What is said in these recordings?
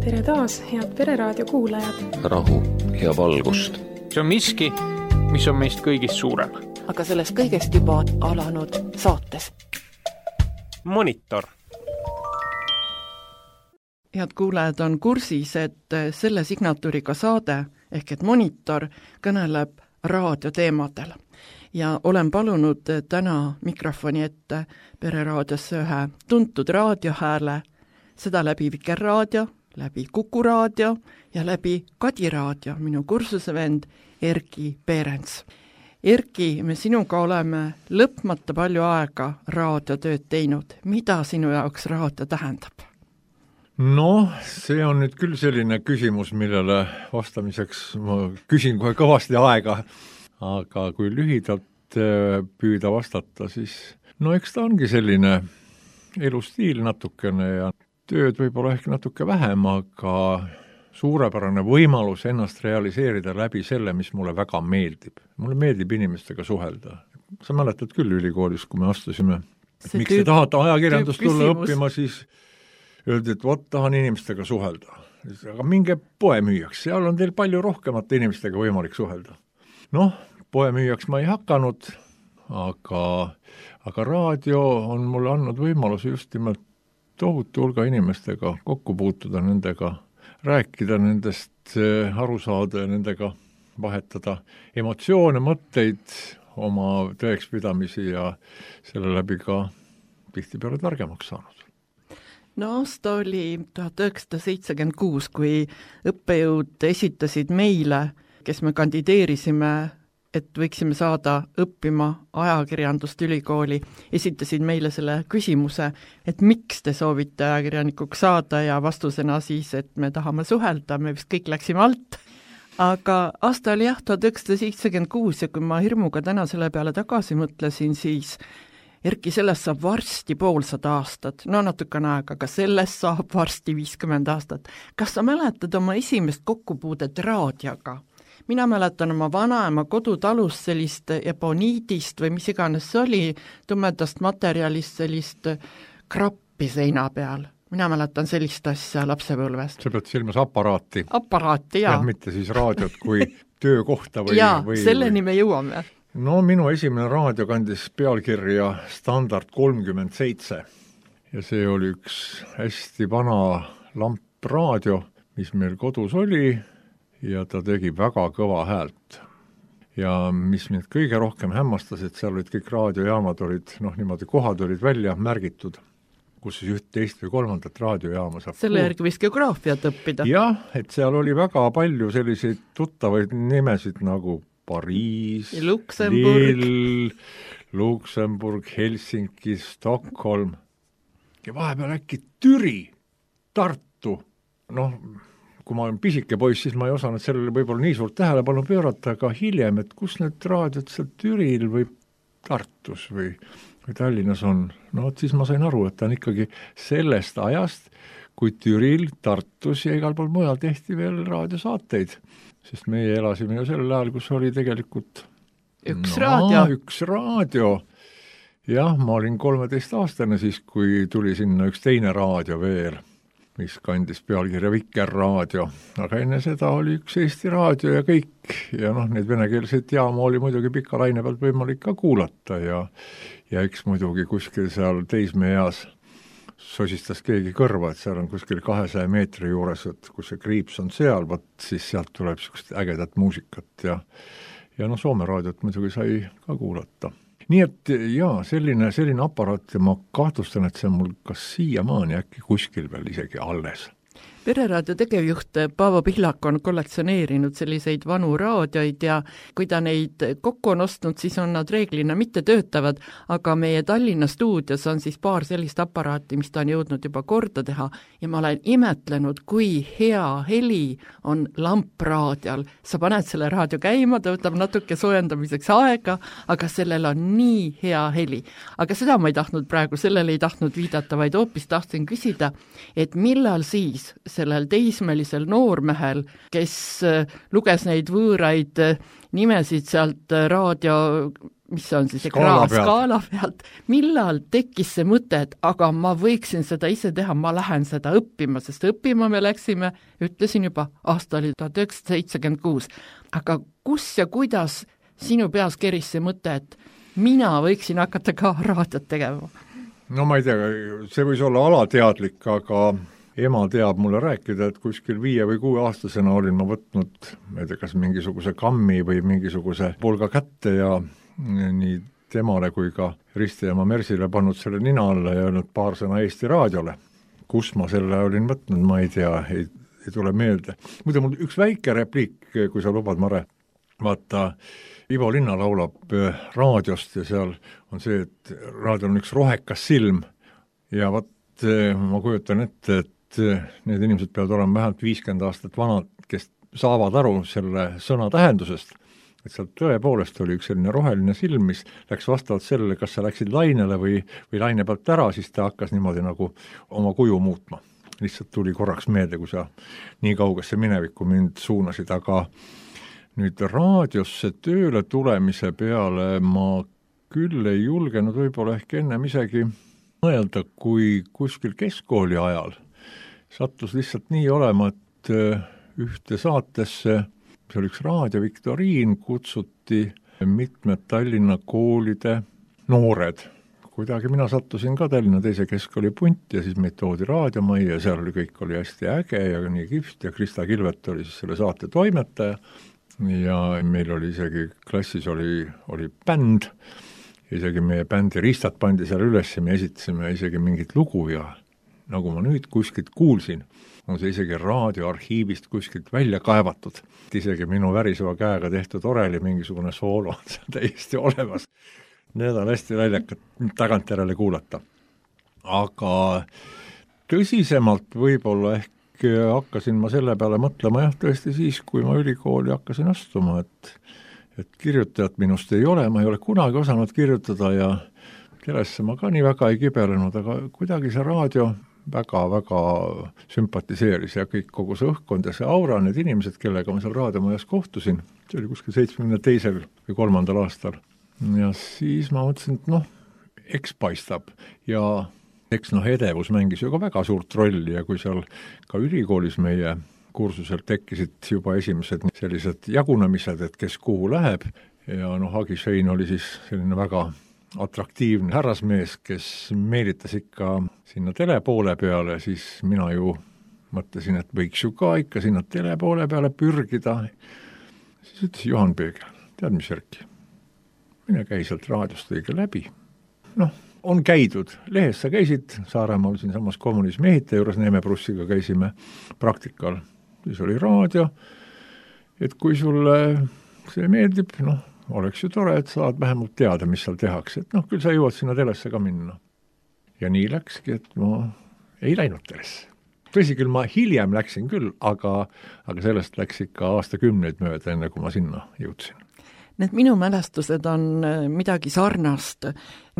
Tere taas, head Pereraadio kuulajad. Rahu ja valgust. See on miski, mis on meist kõigist suurem. Aga sellest kõigest juba alanud saates. Monitor. Head kuulajad on kursis, et selle signatuuriga saade ehk et Monitor kõneleb raadioteemadel. Ja olen palunud täna mikrofoni ette Pereraadiosse ühe tuntud raadiohääle, seda läbi Vikerraadio, läbi Kuku raadio ja läbi Kadi raadio, minu kursusevend Erki Peerens. Erki, me sinuga oleme lõpmata palju aega raadiotööd teinud. Mida sinu jaoks raadio tähendab? No, see on nüüd küll selline küsimus, millele vastamiseks ma küsin kohe kõvasti aega, aga kui lühidalt püüda vastata, siis no eks ta ongi selline elustiil natukene ja tööd võib-olla ehk natuke vähem, aga suurepärane võimalus ennast realiseerida läbi selle, mis mulle väga meeldib. Mulle meeldib inimestega suhelda. Sa mäletad küll ülikoolis, kui me astusime, et miks te tahate ajakirjandust tulla õppima, siis öeldi, et tahan inimestega suhelda. Aga minge poemüüjaks, seal on teil palju rohkemate inimestega võimalik suhelda. Noh, poemüüjaks ma ei hakanud, aga raadio on mulle andnud võimaluse just nimelt tohutu hulga inimestega kokku puutuda, nendega rääkida, nendest aru saada ja nendega vahetada emotsioone, mõtteid, oma tõekspidamisi ja selle läbi ka tihtipeale targemaks saanud. No aasta oli 1976, kui õppejõud esitasid meile, kes me kandideerisime, et võiksime saada õppima ajakirjandust ülikooli, esitasid meile selle küsimuse, et miks te soovite ajakirjanikuks saada ja vastusena siis, et me tahame suhelda, me vist kõik läksime alt. Aga aasta oli 1976 ja kui ma hirmuga täna selle peale tagasi mõtlesin, siis Erki, sellest saab varsti 500 aastat, no natukene aega, aga sellest saab varsti 50 aastat. Kas sa mäletad oma esimest kokkupuudet raadioga? Mina mäletan oma vanaema kodutalust sellist eboniidist või mis iganes see oli, tumedast materjalist sellist krappi seina peal. Mina mäletan sellist asja lapsepõlvest. Sa pead silmas aparaati. Aparaati, jaa. Mitte siis raadiot kui töökohta või... Jaa, selleni me jõuame. No minu esimene raadio kandis pealkirja Standard 37 ja see oli üks hästi vana lampraadio, mis meil kodus oli ja ta tegi väga kõva häält. Ja mis mind kõige rohkem hämmastas, et seal olid kõik raadiojaamad olid, niimoodi kohad olid välja märgitud, kus siis üht, teist või kolmandat raadiojaama saab. Selle järgi võis geograafiat õppida. Jah, et seal oli väga palju selliseid tuttavaid nimesid nagu Pariis, Lille, Luksemburg, Helsinki, Stockholm ja vahepeal äkki Türi, Tartu. Kui ma olen pisike poiss, siis ma ei osanud sellele võib-olla nii suurt tähelepanu pöörata, aga hiljem, et kus need raadiod seal Türil või Tartus või Tallinnas on. Siis ma sain aru, et ta on ikkagi sellest ajast, kui Türil, Tartus ja igal pool mujal tehti veel raadiosaateid. Sest meie elasime ju sellel ajal, kus oli tegelikult üks raadio. Jah, ma olin 13-aastane siis, kui tuli sinna üks teine raadio veel, mis kandis pealkirja Vikerraadio. Aga enne seda oli üks Eesti raadio ja kõik. Ja neid venekeelseid jaama oli muidugi pika laine pealt võimalik ka kuulata ja eks muidugi kuskil seal teismeeas sosistas keegi kõrva, et seal on kuskil 200 meetri juures, et kus see kriips on seal, siis sealt tuleb sellist ägedat muusikat ja Soome raadiot muidugi sai ka kuulata. Nii et jaa, selline aparaat ja ma kahtlustan, et see on mul kas siiamaani äkki kuskil veel isegi alles. Pereraadio tegevjuht Paavo Pihlak on kollektsioneerinud selliseid vanu raadioid ja kui ta neid kokku on ostnud, siis on nad reeglina mitte töötavad, aga meie Tallinna stuudios on siis paar sellist aparaati, mis ta on jõudnud juba korda teha ja ma olen imetlenud, kui hea heli on lampraadial. Sa paned selle raadio käima, ta võtab natuke soojendamiseks aega, aga sellel on nii hea heli. Aga seda ma ei tahtnud praegu, sellele ei tahtnud viidata, vaid hoopis tahtsin küsida, et millal siis sellel teismelisel noormehel, kes luges neid võõraid nimesid sealt raadio mis on siis ekraan skaala pealt, millal tekkis see mõte, et aga ma võiksin seda ise teha, ma lähen seda õppima, sest õppima me läksime, ütlesin juba, aasta oli 1976. Aga kus ja kuidas sinu peas keris see mõte, et mina võiksin hakata ka raadiot tegema? No ma ei tea, see võis olla alateadlik, aga ema teab mulle rääkida, et kuskil 5 või 6 aastasena olin ma võtnud, ma ei tea, kas mingisuguse kammi või mingisuguse pulga kätte ja nii temale kui ka Risti ema Mersile pannud selle nina alla ja öelnud paar sõna Eesti Raadiole. Kus ma selle olin võtnud, ma ei tea, ei tule meelde. Muide, mul üks väike repliik, kui sa lubad, Mare. Vaata, Ivo Linna laulab raadiost ja seal on see, et raadiol on üks rohekas silm ja ma kujutan ette, et need inimesed peavad olema vähemalt 50 aastat vanad, kes saavad aru selle sõna tähendusest, et seal tõepoolest oli üks selline roheline silm, mis läks vastavalt sellele, kas sa läksid lainele või laine pealt ära, siis ta hakkas niimoodi nagu oma kuju muutma. Lihtsalt tuli korraks meelde, kui sa nii kaugesse minevikku mind suunasid, aga nüüd raadiosse tööle tulemise peale ma küll ei julgenud võib-olla ehk ennem isegi mõelda, kui kuskil keskkooli ajal sattus lihtsalt nii olema, et ühte saatesse, see oli üks raadioviktoriin, kutsuti mitmed Tallinna koolide noored. Kuidagi mina sattusin ka Tallinna teise keskkooli punti ja siis meid toodi raadiomajja ja seal oli kõik oli hästi äge ja nii kihvt ja Krista Kilvet oli siis selle saate toimetaja ja meil oli isegi klassis oli bänd, isegi meie bändi ristad pandi seal üles ja me esitasime isegi mingit lugu ja nagu ma nüüd kuskilt kuulsin, on see isegi raadioarhiivist kuskilt välja kaevatud. Isegi minu väriseva käega tehtud oreli mingisugune soolo on seal täiesti olemas. Need on hästi väljakad tagantjärele kuulata. Aga tõsisemalt võib-olla ehk hakkasin ma selle peale mõtlema jah tõesti siis, kui ma ülikooli hakkasin astuma, et kirjutajat minust ei ole, ma ei ole kunagi osanud kirjutada ja kellesse ma ka nii väga ei kibelenud, aga kuidagi see raadio väga-väga sümpatiseeris ja kogu see õhkkond ja see aura, need inimesed, kellega ma seal raadiomajas kohtusin, see oli kuskil 72. või 3. aastal. Ja siis ma mõtlesin, et eks paistab ja eks edevus mängis ju ka väga suurt rolli ja kui seal ka ülikoolis meie kursusel tekkisid juba esimesed sellised jagunemised, et kes kuhu läheb ja Hagi Schein oli siis selline väga atraktiivne härrasmees, kes meelitas ikka sinna telepoole peale, siis mina ju mõtlesin, et võiks ju ka ikka sinna telepoole peale pürgida. Siis ütles Juhan Peegel, tead mis Erki, mine käi sealt raadiost õige läbi. On käidud, lehes sa käisid, Saaremaal siin samas kommunismi ehitaja juures Neeme Prussiga käisime praktikal, siis oli raadio, et kui sulle see meeldib, oleks ju tore, et saad vähemalt teada, mis seal tehakse, et küll sa jõuad sinna telesse ka minna. Ja nii läkski, et ma ei läinud telesse. Tõsi küll, ma hiljem läksin küll, aga sellest läks ikka aastakümneid mööda, enne kui ma sinna jõudsin. Need minu mälestused on midagi sarnast.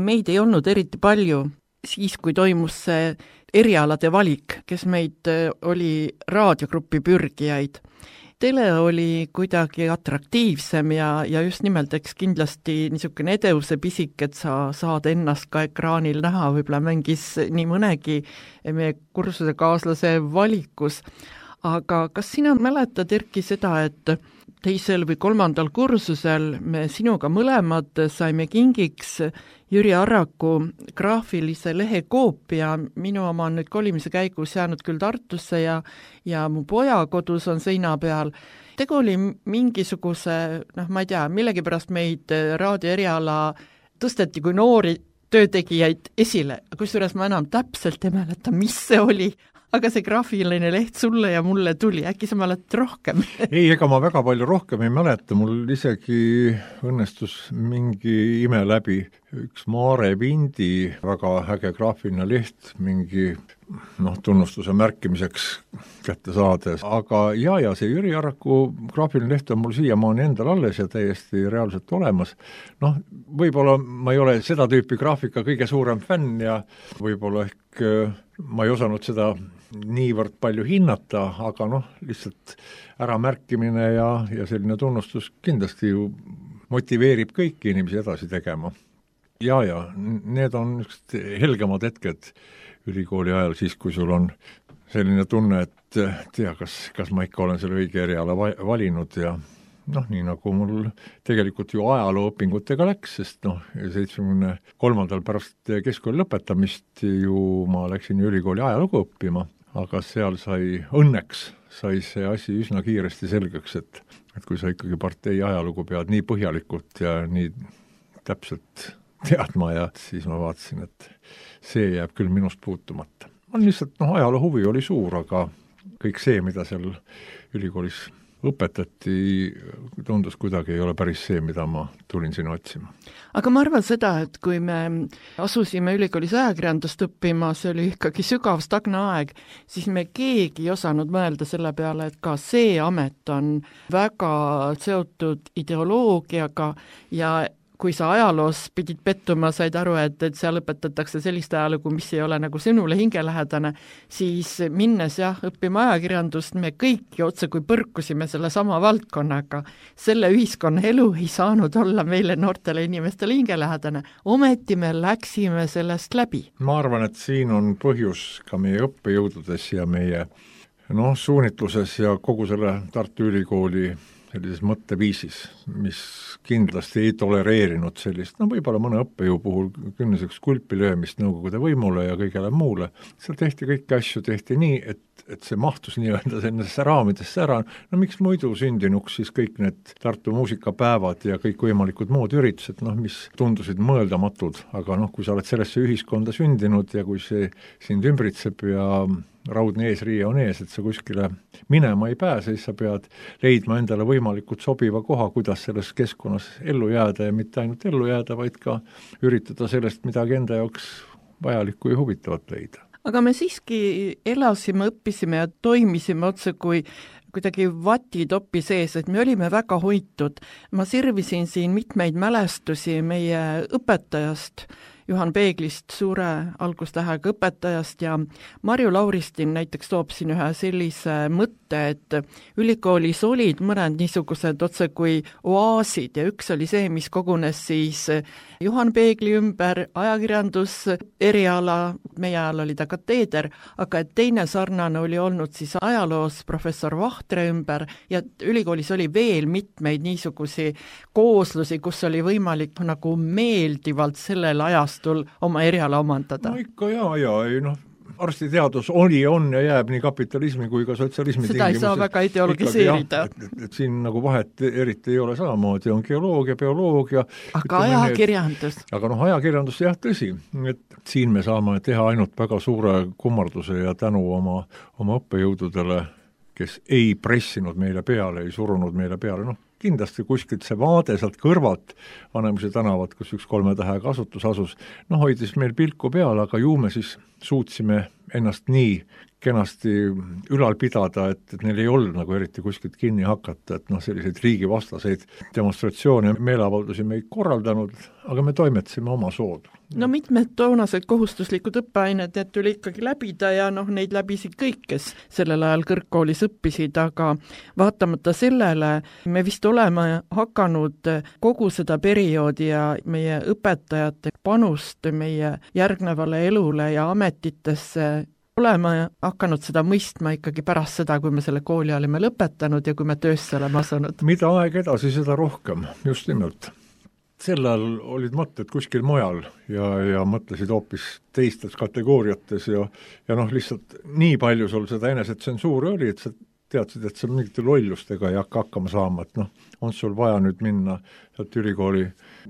Meid ei olnud eriti palju siis, kui toimus see erialade valik, kes meid oli raadiogruppi pürgijaid. Tele oli kuidagi atraktiivsem ja just nimelt eks kindlasti niisugune edevuse pisik, et sa saad ennast ka ekraanil näha, võib-olla mängis nii mõnegi meie kursuse kaaslase valikus. Aga kas sina mäletad, Erki, seda, et 2. või 3. kursusel me sinuga mõlemad saime kingiks Jüri Arraku graafilise lehe koopia, minu oma on nüüd kolimise käigus jäänud küll Tartusse ja mu poja kodus on seina peal. Tegu oli mingisuguse, ma ei tea, millegipärast meid raadio eriala tõsteti kui noori töötegijaid esile, kusjuures ma enam täpselt ei mäleta, mis see oli, aga see graafiline leht sulle ja mulle tuli, äkki sa mäletad rohkem? Ei, ega ma väga palju rohkem ei mäleta, mul isegi õnnestus mingi ime läbi üks Maare Vindi väga äge graafiline leht mingi tunnustuse märkimiseks kätte saades, aga ja see Jüri Arraku graafiline leht on mul siiamaani endal alles ja täiesti reaalselt olemas. Võib-olla ma ei ole seda tüüpi graafika kõige suurem fänn ja võib-olla ehk ma ei osanud seda niivõrd palju hinnata, aga lihtsalt äramärkimine ja selline tunnustus kindlasti ju motiveerib kõiki inimesi edasi tegema. Ja need on helgemad hetked ülikooli ajal siis, kui sul on selline tunne, et tea, kas ma ikka olen selle õige eriala valinud ja noh, nii nagu mul tegelikult ju ajalooõpingutega läks, sest 73. pärast keskkooli lõpetamist ju ma läksin ülikooli ajalugu õppima, aga seal õnneks sai see asi üsna kiiresti selgeks, et kui sa ikkagi partei ajalugu pead nii põhjalikult ja nii täpselt teadma ja siis ma vaatasin, et see jääb küll minust puutumata. On lihtsalt, ajaloo huvi oli suur, aga kõik see, mida seal ülikoolis õpetati, tundus kuidagi ei ole päris see, mida ma tulin sinna otsima. Aga ma arvan seda, et kui me asusime ülikoolis ajakirjandust õppima, see oli ikkagi sügav stagne aeg, siis me keegi ei osanud mõelda selle peale, et ka see amet on väga seotud ideoloogiaga ja kui sa ajaloos pidid pettuma, said aru, et seal õpetatakse sellist ajalugu, mis ei ole nagu sinule hingelähedane, siis minnes õppima ajakirjandust, me kõik ju otse kui põrkusime selle sama valdkonnaga. Selle ühiskonna elu ei saanud olla meile noortele inimestele hingelähedane. Ometi me läksime sellest läbi. Ma arvan, et siin on põhjus ka meie õppejõududes ja meie suunitluses ja kogu selle Tartu Ülikooli sellises mõtteviisis, mis kindlasti ei tolereerinud sellist, võib-olla mõne õppejõu puhul künniseks kulpi löömist Nõukogude võimule ja kõigele muule. Seal tehti kõiki asju, tehti nii, et see mahtus nii-öelda sellesse raamidesse ära. Miks muidu sündinuks siis kõik need Tartu muusikapäevad ja kõik võimalikud muud üritused, mis tundusid mõeldamatud, aga kui sa oled sellesse ühiskonda sündinud ja kui see sind ümbritseb ja raudne eesriie on ees, et sa kuskile minema ei pääse, siis sa pead leidma endale võimalikult sobiva koha, kuidas selles keskkonnas ellu jääda ja mitte ainult ellu jääda, vaid ka üritada sellest midagi enda jaoks vajalikku ja huvitavat leida. Aga me siiski elasime, õppisime ja toimisime otse kui kuidagi vatitopi sees, et me olime väga hoitud. Ma sirvisin siin mitmeid mälestusi meie õpetajast, Juhan Peeglist, suure algustähega õpetajast ja Marju Lauristin näiteks toob siin ühe sellise mõtte, et ülikoolis olid mõned niisugused otse kui oaasid ja üks oli see, mis kogunes siis Juhan Peegli ümber, ajakirjandus, eriala, meie ajal oli ta kateeder, aga et teine sarnane oli olnud siis ajaloos professor Vahtre ümber ja ülikoolis oli veel mitmeid niisugusi kooslusi, kus oli võimalik nagu meeldivalt sellel ajastul oma eriala omandada. Ikka arstiteadus oli, on ja jääb nii kapitalismi kui ka sotsialismi seda ei saa väga ideologiseerida. Et siin nagu vahet eriti ei ole samamoodi, on geoloogia, bioloogia. Aga ajakirjandus. Aga ajakirjandus tõsi, et siin me saame teha ainult väga suure kummarduse ja tänu oma õppejõududele, kes ei pressinud meile peale, ei surunud meile peale, kindlasti kuskilt see vaade sealt kõrvalt Vanemuise tänavat, kus üks 3 tähega asutus asus, hoidis meil pilku peal, aga ju me siis suutsime ennast nii kenasti ülal pidada, et neil ei olnud nagu eriti kuskilt kinni hakata, et selliseid riigivastaseid demonstratsioone ja meeleavaldusi me ei korraldanud, aga me toimetasime oma soodu. Mitmed toonased kohustuslikud õppeained, need tuli ikkagi läbida ja neid läbisid kõik, kes sellel ajal kõrgkoolis õppisid, aga vaatamata sellele me vist oleme hakanud kogu seda perioodi ja meie õpetajate panust meie järgnevale elule ja ametitesse oleme hakanud seda mõistma ikkagi pärast seda, kui me selle kooli olime lõpetanud ja kui me töösse oleme asunud. Mida aeg edasi, seda rohkem, just nimelt. Sel ajal olid mõtted kuskil mujal ja mõtlesid hoopis teistes kategooriates ja lihtsalt nii palju sul seda enesetsensuuri oli, et sa teadsid, et sa mingite lollustega ei hakka hakkama saama, et on sul vaja nüüd minna sealt ülikooli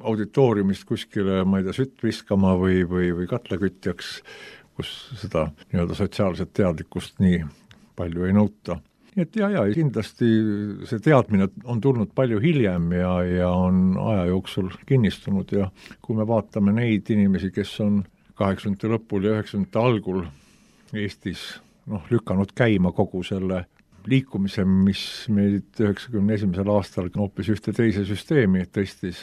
auditooriumist kuskile, ma ei tea, sütt viskama või katlakütjaks, kus seda sotsiaalset teadlikkust nii palju ei nõuta. Et kindlasti see teadmine on tulnud palju hiljem ja on aja jooksul kinnistunud ja kui me vaatame neid inimesi, kes on 80. lõpul ja 90. algul Eestis lükanud käima kogu selle liikumise, mis meid 91. aastal hoopis ühte teise süsteemi tõstis,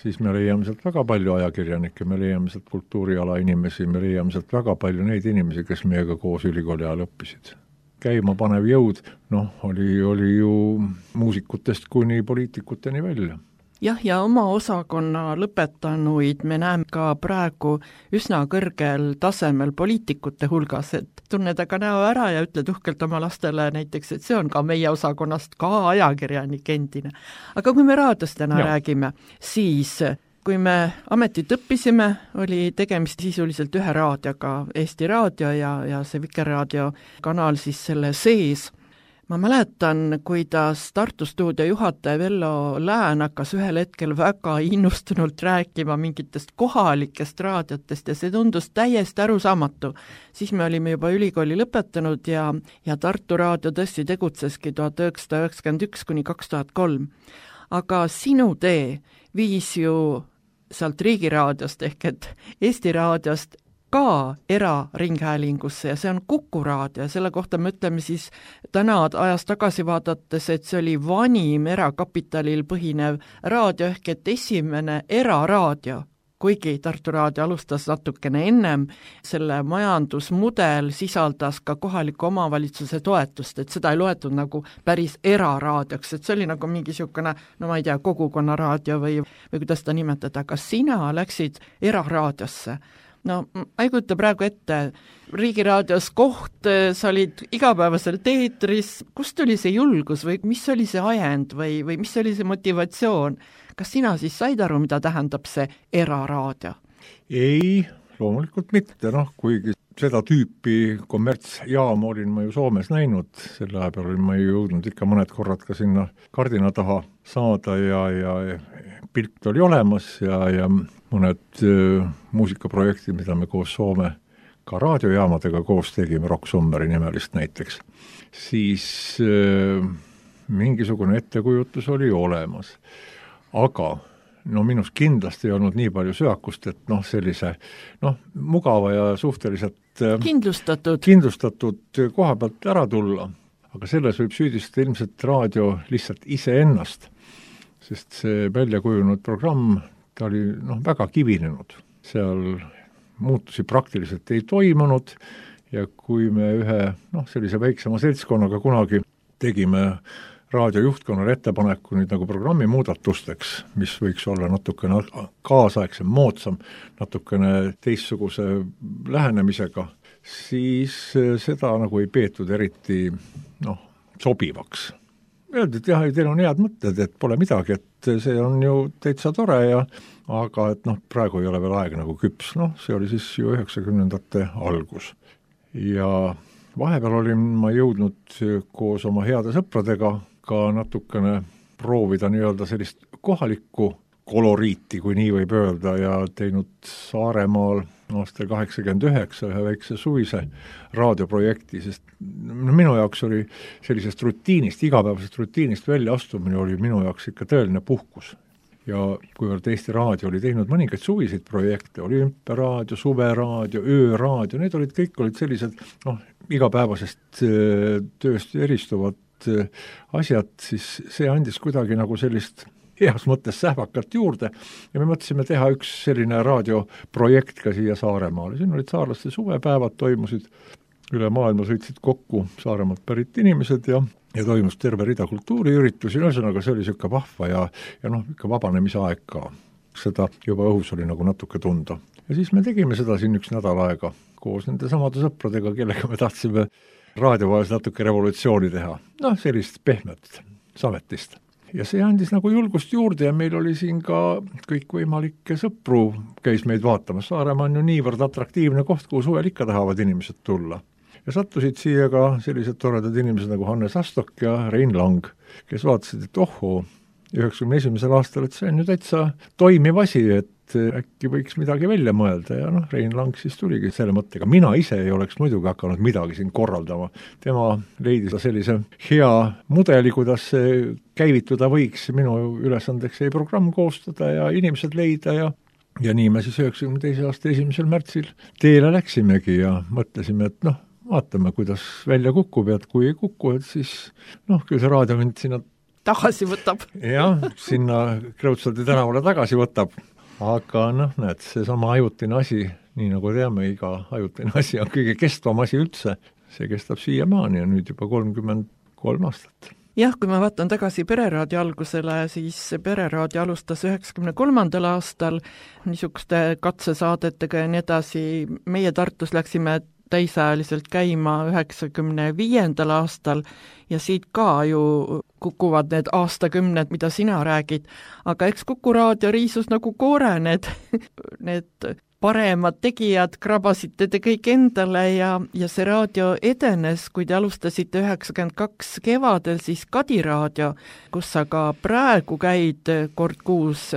siis me leiame sealt väga palju ajakirjanikke, me leiame sealt kultuuriala inimesi, me leiame sealt väga palju neid inimesi, kes meiega koos ülikooli ajal õppisid. Käima panev jõud, oli ju muusikutest kuni poliitikuteni välja. jah, ja oma osakonna lõpetanuid me näeme ka praegu üsna kõrgel tasemel poliitikute hulgas, et tunned aga näo ära ja ütled uhkelt oma lastele näiteks, et see on ka meie osakonnast ka ajakirjanik endine. Aga kui me raadiost täna räägime, siis kui me ametit õppisime, oli tegemist sisuliselt ühe raadioga, Eesti Raadio ja see Vikerraadio kanal siis selle sees. Ma mäletan, kuidas Tartu stuudio juhataja Vello Lään hakkas ühel hetkel väga innustunult rääkima mingitest kohalikest raadiotest ja see tundus täiesti arusaamatu. Siis me olime juba ülikooli lõpetanud ja Tartu Raadio tõesti tegutseski 1991 kuni 2003. Aga sinu tee viis ju sealt Riigiraadiost ehk et Eesti Raadiost ka eraringhäälingusse ja see on Kuku Raadio ja selle kohta me ütleme siis täna ajas tagasi vaadates, et see oli vanim erakapitalil põhinev raadio ehk et esimene eraraadio, kuigi Tartu Raadio alustas natukene ennem, selle majandusmudel sisaldas ka kohaliku omavalitsuse toetust, et seda ei loetud nagu päris eraraadioks, et see oli nagu mingi niisugune, no ma ei tea, kogukonnaraadio või kuidas ta nimetada, aga sina läksid eraraadiosse. No ma ei kujuta praegu ette, Riigiraadios koht, sa olid igapäevaselt eetris, kust tuli see julgus või mis oli see ajend või mis oli see motivatsioon? Kas sina siis said aru, mida tähendab see eraraadio? Ei, loomulikult mitte, kuigi seda tüüpi kommertsjaama olin ma ju Soomes näinud, selle aja peal olin ma ju jõudnud ikka mõned korrad ka sinna kardina taha saada ja pilt oli olemas ja mõned muusikaprojektid, mida me koos Soome ka raadiojaamadega koos tegime, Rock Summeri nimelist näiteks, siis mingisugune ettekujutus oli olemas. Aga minus kindlasti ei olnud nii palju söakust, et sellise mugava ja suhteliselt kindlustatud koha pealt ära tulla. Aga selles võib süüdistada ilmselt raadio lihtsalt iseennast, sest see välja kujunud programm, ta oli väga kivinenud. Seal muutusi praktiliselt ei toimunud ja kui me ühe sellise väiksema seltskonnaga kunagi tegime raadiojuhtkonnale ettepaneku nüüd nagu programmi muudatusteks, mis võiks olla natukene kaasaegsem, moodsam, natukene teistsuguse lähenemisega, siis seda nagu ei peetud eriti sobivaks. Öeldi, et jah, teil on head mõtted, et pole midagi, et see on ju täitsa tore aga et praegu ei ole veel aeg nagu küps. See oli siis ju 90ndate algus. Ja vahepeal olin ma jõudnud koos oma heade sõpradega ka natukene proovida nii-öelda sellist kohalikku koloriiti, kui nii võib öelda, ja teinud Saaremaal aastal 89 ühe väikse suvise raadioprojekti, sest minu jaoks oli sellisest rutiinist, igapäevasest rutiinist välja astumine oli minu jaoks ikka tõeline puhkus. Ja kuivõrd Eesti Raadio oli teinud mõningaid suviseid projekte, olümpiaraadio, suveraadio, ööraadio, need kõik olid sellised igapäevasest tööst eristuvad asjad, siis see andis kuidagi nagu sellist heas mõttes sähvakalt juurde ja me mõtlesime teha üks selline raadioprojekt ka siia Saaremaale. Siin olid saarlaste suvepäevad, toimusid üle maailma, sõitsid kokku Saaremaalt pärit inimesed ja toimus terve rida kultuuriüritusi, ühesõnaga see oli siuke vahva ja ikka vabanemise aeg ka. Seda juba õhus oli nagu natuke tunda. Ja siis me tegime seda siin üks nädal aega koos nende samade sõpradega, kellega me tahtsime raadiovajas natuke revolutsiooni teha. Sellist pehmet sametist. Ja see andis nagu julgust juurde ja meil oli siin ka kõikvõimalikke sõpru käis meid vaatamas. Saaremaa on ju niivõrd atraktiivne koht, kuhu suvel ikka tahavad inimesed tulla. Ja sattusid siia ka sellised toredad inimesed nagu Hannes Astok ja Rein Lang, kes vaatasid, et 91. aastal, et see on ju täitsa toimiv asi, et äkki võiks midagi välja mõelda ja Rein Lang siis tuligi selle mõttega. Mina ise ei oleks muidugi hakanud midagi siin korraldama. Tema leidis sellise hea mudeli, kuidas see käivituda võiks. Minu ülesandeks jäi programm koostada ja inimesed leida ja nii me siis 92. aasta 1. märtsil teele läksimegi ja mõtlesime, et vaatame, kuidas välja kukub ja kui ei kuku, et siis küll see raadio mind sinna tagasi võtab. Jah, sinna Kreutzwaldi tänavale tagasi võtab. Aga näed, see sama ajutine asi, nii nagu teame, iga ajutine asi on kõige kestvam asi üldse. See kestab siiamaani ja nüüd juba 33 aastat. jah, kui ma vaatan tagasi Pereraadio algusele, siis Pereraadio alustas 93. aastal niisuguste katsesaadetega ja nii edasi. Meie Tartus läksime täisajaliselt käima 95. aastal ja siit ka ju kukuvad need aastakümned, mida sina räägid, aga eks Kuku raadio riisus nagu koore need paremad tegijad krabasite te kõik endale ja see raadio edenes, kui te alustasite 92 kevadel, siis Kadi raadio, kus sa ka praegu käid kord kuus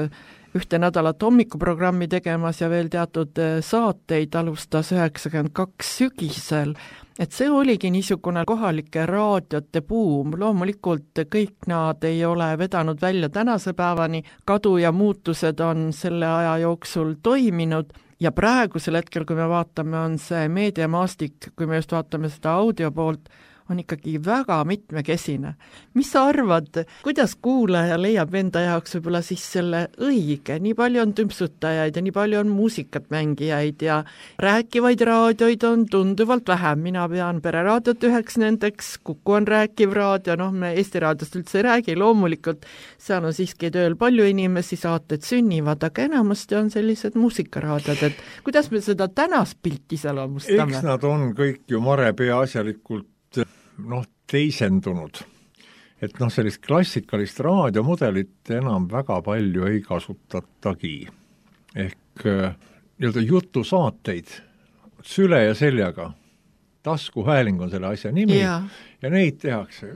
ühte nädalat hommikuprogrammi tegemas ja veel teatud saateid alustas 92 sügisel. Et see oligi niisugune kohalike raadiote buum. Loomulikult kõik nad ei ole vedanud välja tänase päevani, kadu ja muutused on selle aja jooksul toiminud ja praegusel hetkel, kui me vaatame, on see meediamaastik, kui me just vaatame seda audio poolt, on ikkagi väga mitmekesine. Mis sa arvad, kuidas kuulaja leiab enda jaoks võib-olla siis selle õige? Nii palju on tümpsutajaid ja nii palju on muusikat mängijaid ja rääkivaid raadioid on tunduvalt vähem. Mina pean Pereraadiot üheks nendeks, Kuku on rääkiv raadio, me Eesti raadiost üldse ei räägi, loomulikult seal on siiski tööl palju inimesi, saated sünnivad, aga enamasti on sellised muusikaraadiod, et kuidas me seda tänast pilti iseloomustame? Eks nad on kõik ju mare peaasjalikult teisendunud. Et sellist klassikalist raadiomudelit enam väga palju ei kasutatagi. Ehk nii-öelda jutusaateid süle ja seljaga. Taskuhääling on selle asja nimi ja neid tehakse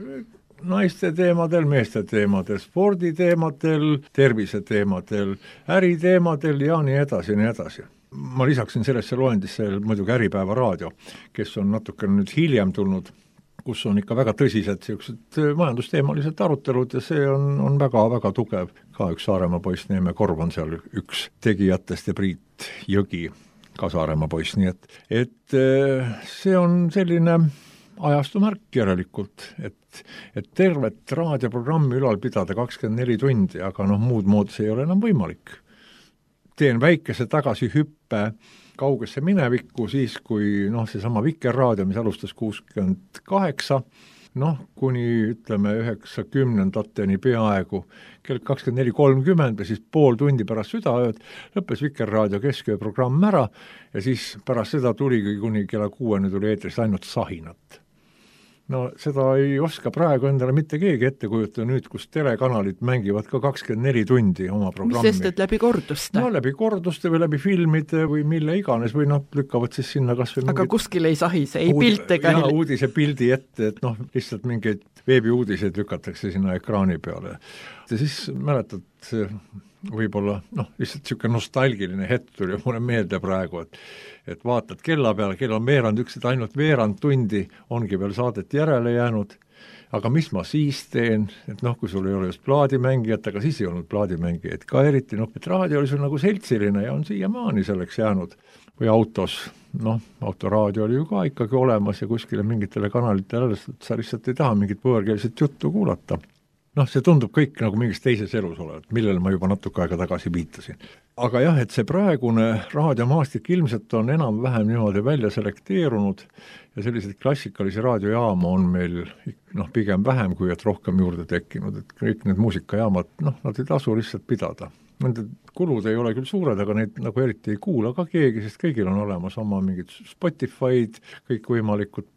naiste teemadel, meeste teemadel, sporditeemadel, terviseteemadel, äriteemadel ja nii edasi, nii edasi. Ma lisaksin sellesse loendisse muidugi Äripäeva raadio, kes on natuke nüüd hiljem tulnud, kus on ikka väga tõsised majandusteemalised arutelud ja see on väga-väga tugev. Ka üks Saaremaa poiss Neeme Korv on seal üks tegijatest ja Priit Jõgi, ka Saaremaa poiss, nii et see on selline ajastumärk järelikult, et tervet raadioprogrammi ülal pidada 24 tundi, aga muud moodi see ei ole enam võimalik. Teen väikese tagasihüppe kaugesse minevikku siis, kui seesama Vikerraadio, mis alustas 68, kuni ütleme 90-ndateni peaaegu kell 24.30 ja siis pool tundi pärast südaööd lõppes Vikerraadio keskööprogramm ära ja siis pärast seda tuligi kuni kella 6 tuli eetrist ainult sahinat. Seda ei oska praegu endale mitte keegi ette kujutada nüüd, kus telekanalid mängivad ka 24 tundi oma programmi. Mis sest, et läbi korduste? Läbi korduste või läbi filmide või mille iganes või lükkavad siis sinna kas või aga kuskil ei sahise, ei pilte ka uudise pildi ette, et lihtsalt mingeid veebiuudiseid lükatakse sinna ekraani peale. Ja siis mäletad, võib-olla lihtsalt siuke nostalgiline hetk tuli mulle meelde praegu, et vaatad kella peale, kell on veerand üks, et ainult veerand tundi ongi veel saadet järele jäänud, aga mis ma siis teen, et kui sul ei ole just plaadimängijat, aga siis ei olnud plaadimängijaid ka eriti, et raadio oli sul nagu seltsiline ja on siiamaani selleks jäänud. Või autos, autoraadio oli ju ka ikkagi olemas ja kuskile mingitele kanalitele, sa lihtsalt ei taha mingit võõrkeelset juttu kuulata. See tundub kõik nagu mingis teises elus olevat, millele ma juba natuke aega tagasi viitasin. Aga jah, et see praegune raadiomaastik ilmselt on enam-vähem niimoodi välja selekteerunud ja selliseid klassikalisi raadiojaama on meil pigem vähem, kui et rohkem juurde tekkinud, et kõik need muusikajaamad, nad ei tasu lihtsalt pidada. Nende kulud ei ole küll suured, aga neid nagu eriti ei kuula ka keegi, sest kõigil on olemas oma mingid Spotify'd, kõik võimalikud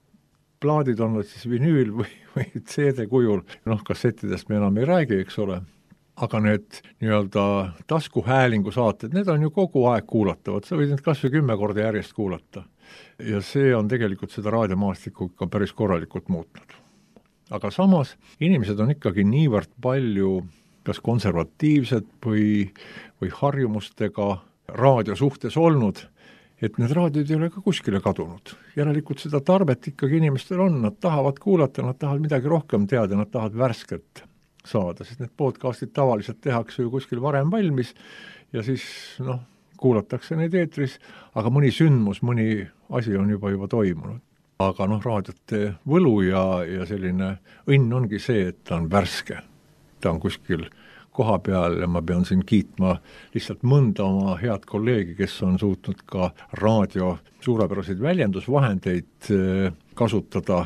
plaadid on siis vinüül või CD kujul, kassettidest me enam ei räägi, eks ole, aga need nii-öelda taskuhäälingu saated, need on ju kogu aeg kuulatavad, sa võid need kas või 10 korda järjest kuulata. Ja see on tegelikult seda raadiomaastikku ka päris korralikult muutnud. Aga samas inimesed on ikkagi niivõrd palju kas konservatiivsed või harjumustega raadio suhtes olnud, et need raadiod ei ole ka kuskile kadunud. Järelikult seda tarvet ikkagi inimestel on, nad tahavad kuulata, nad tahavad midagi rohkem teada, nad tahavad värsket saada, sest need podcastid tavaliselt tehakse ju kuskil varem valmis ja siis kuulatakse neid eetris, aga mõni sündmus, mõni asi on juba toimunud. Aga raadiote võlu ja selline õnn ongi see, et ta on värske, ta on kuskil koha peal ja ma pean siin kiitma lihtsalt mõnda oma head kolleegi, kes on suutnud ka raadio suurepäraseid väljendusvahendeid kasutada,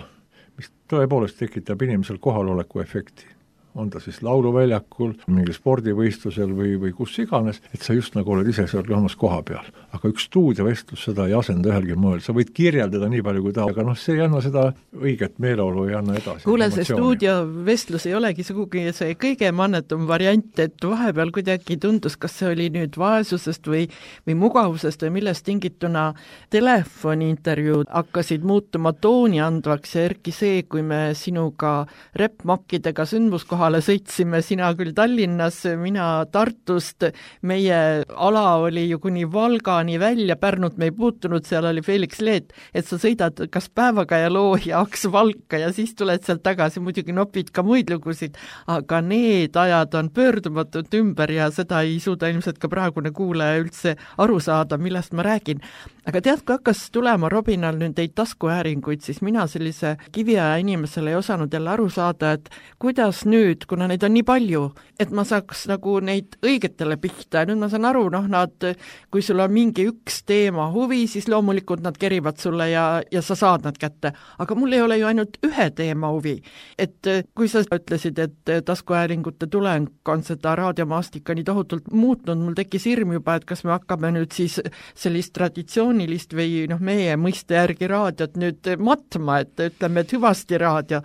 mis tõepoolest tekitab inimesel kohaloleku efekti. On ta siis lauluväljakul, mingi spordivõistlusel või kus iganes, et sa just nagu oled ise seal olemas koha peal. Aga üks stuudiovestlus seda ei asenda ühelgi moel, sa võid kirjeldada nii palju kui aga see ei anna seda õiget meeleolu, ei anna edasi. Kuule, see stuudiovestlus ei olegi sugugi see kõige mannetum variant, et vahepeal kuidagi tundus, kas see oli nüüd vaesusest või mugavusest või millest tingituna telefoniintervjuud hakkasid muutuma tooni andvaks ja erki see, kui me sinuga räppmakkidega sündmuskohale sõitsime, sina küll Tallinnas, mina Tartust, meie ala oli ju kuni Valgani välja, Pärnut me ei puutunud, seal oli Felix Leet, et sa sõidad kas Päevakaja loo ja Aks Valka ja siis tuled sealt tagasi, muidugi nopid ka muid lugusid, aga need ajad on pöördumatult ümber ja seda ei suuda ilmselt ka praegune kuulaja üldse aru saada, millest ma räägin. Aga tead, kui hakkas tulema Robinal nüüd neid taskuhääringuid, siis mina sellise kiviaja inimesele ei osanud jälle aru saada, et kuidas nüüd, kuna neid on nii palju, et ma saaks nagu neid õigetele pihta ja nüüd ma saan aru, nad, kui sul on mingi üks teema huvi, siis loomulikult nad kerivad sulle ja sa saad nad kätte. Aga mul ei ole ju ainult ühe teema huvi. Et kui sa ütlesid, et taskuhääringute tuleng on seda raadiomaastika nii tohutult muutnud, mul tekkis hirm juba, et kas me hakkame nüüd siis sellist traditsioonilist või meie mõiste järgi raadiot nüüd matma, et ütleme, et hüvasti raadio.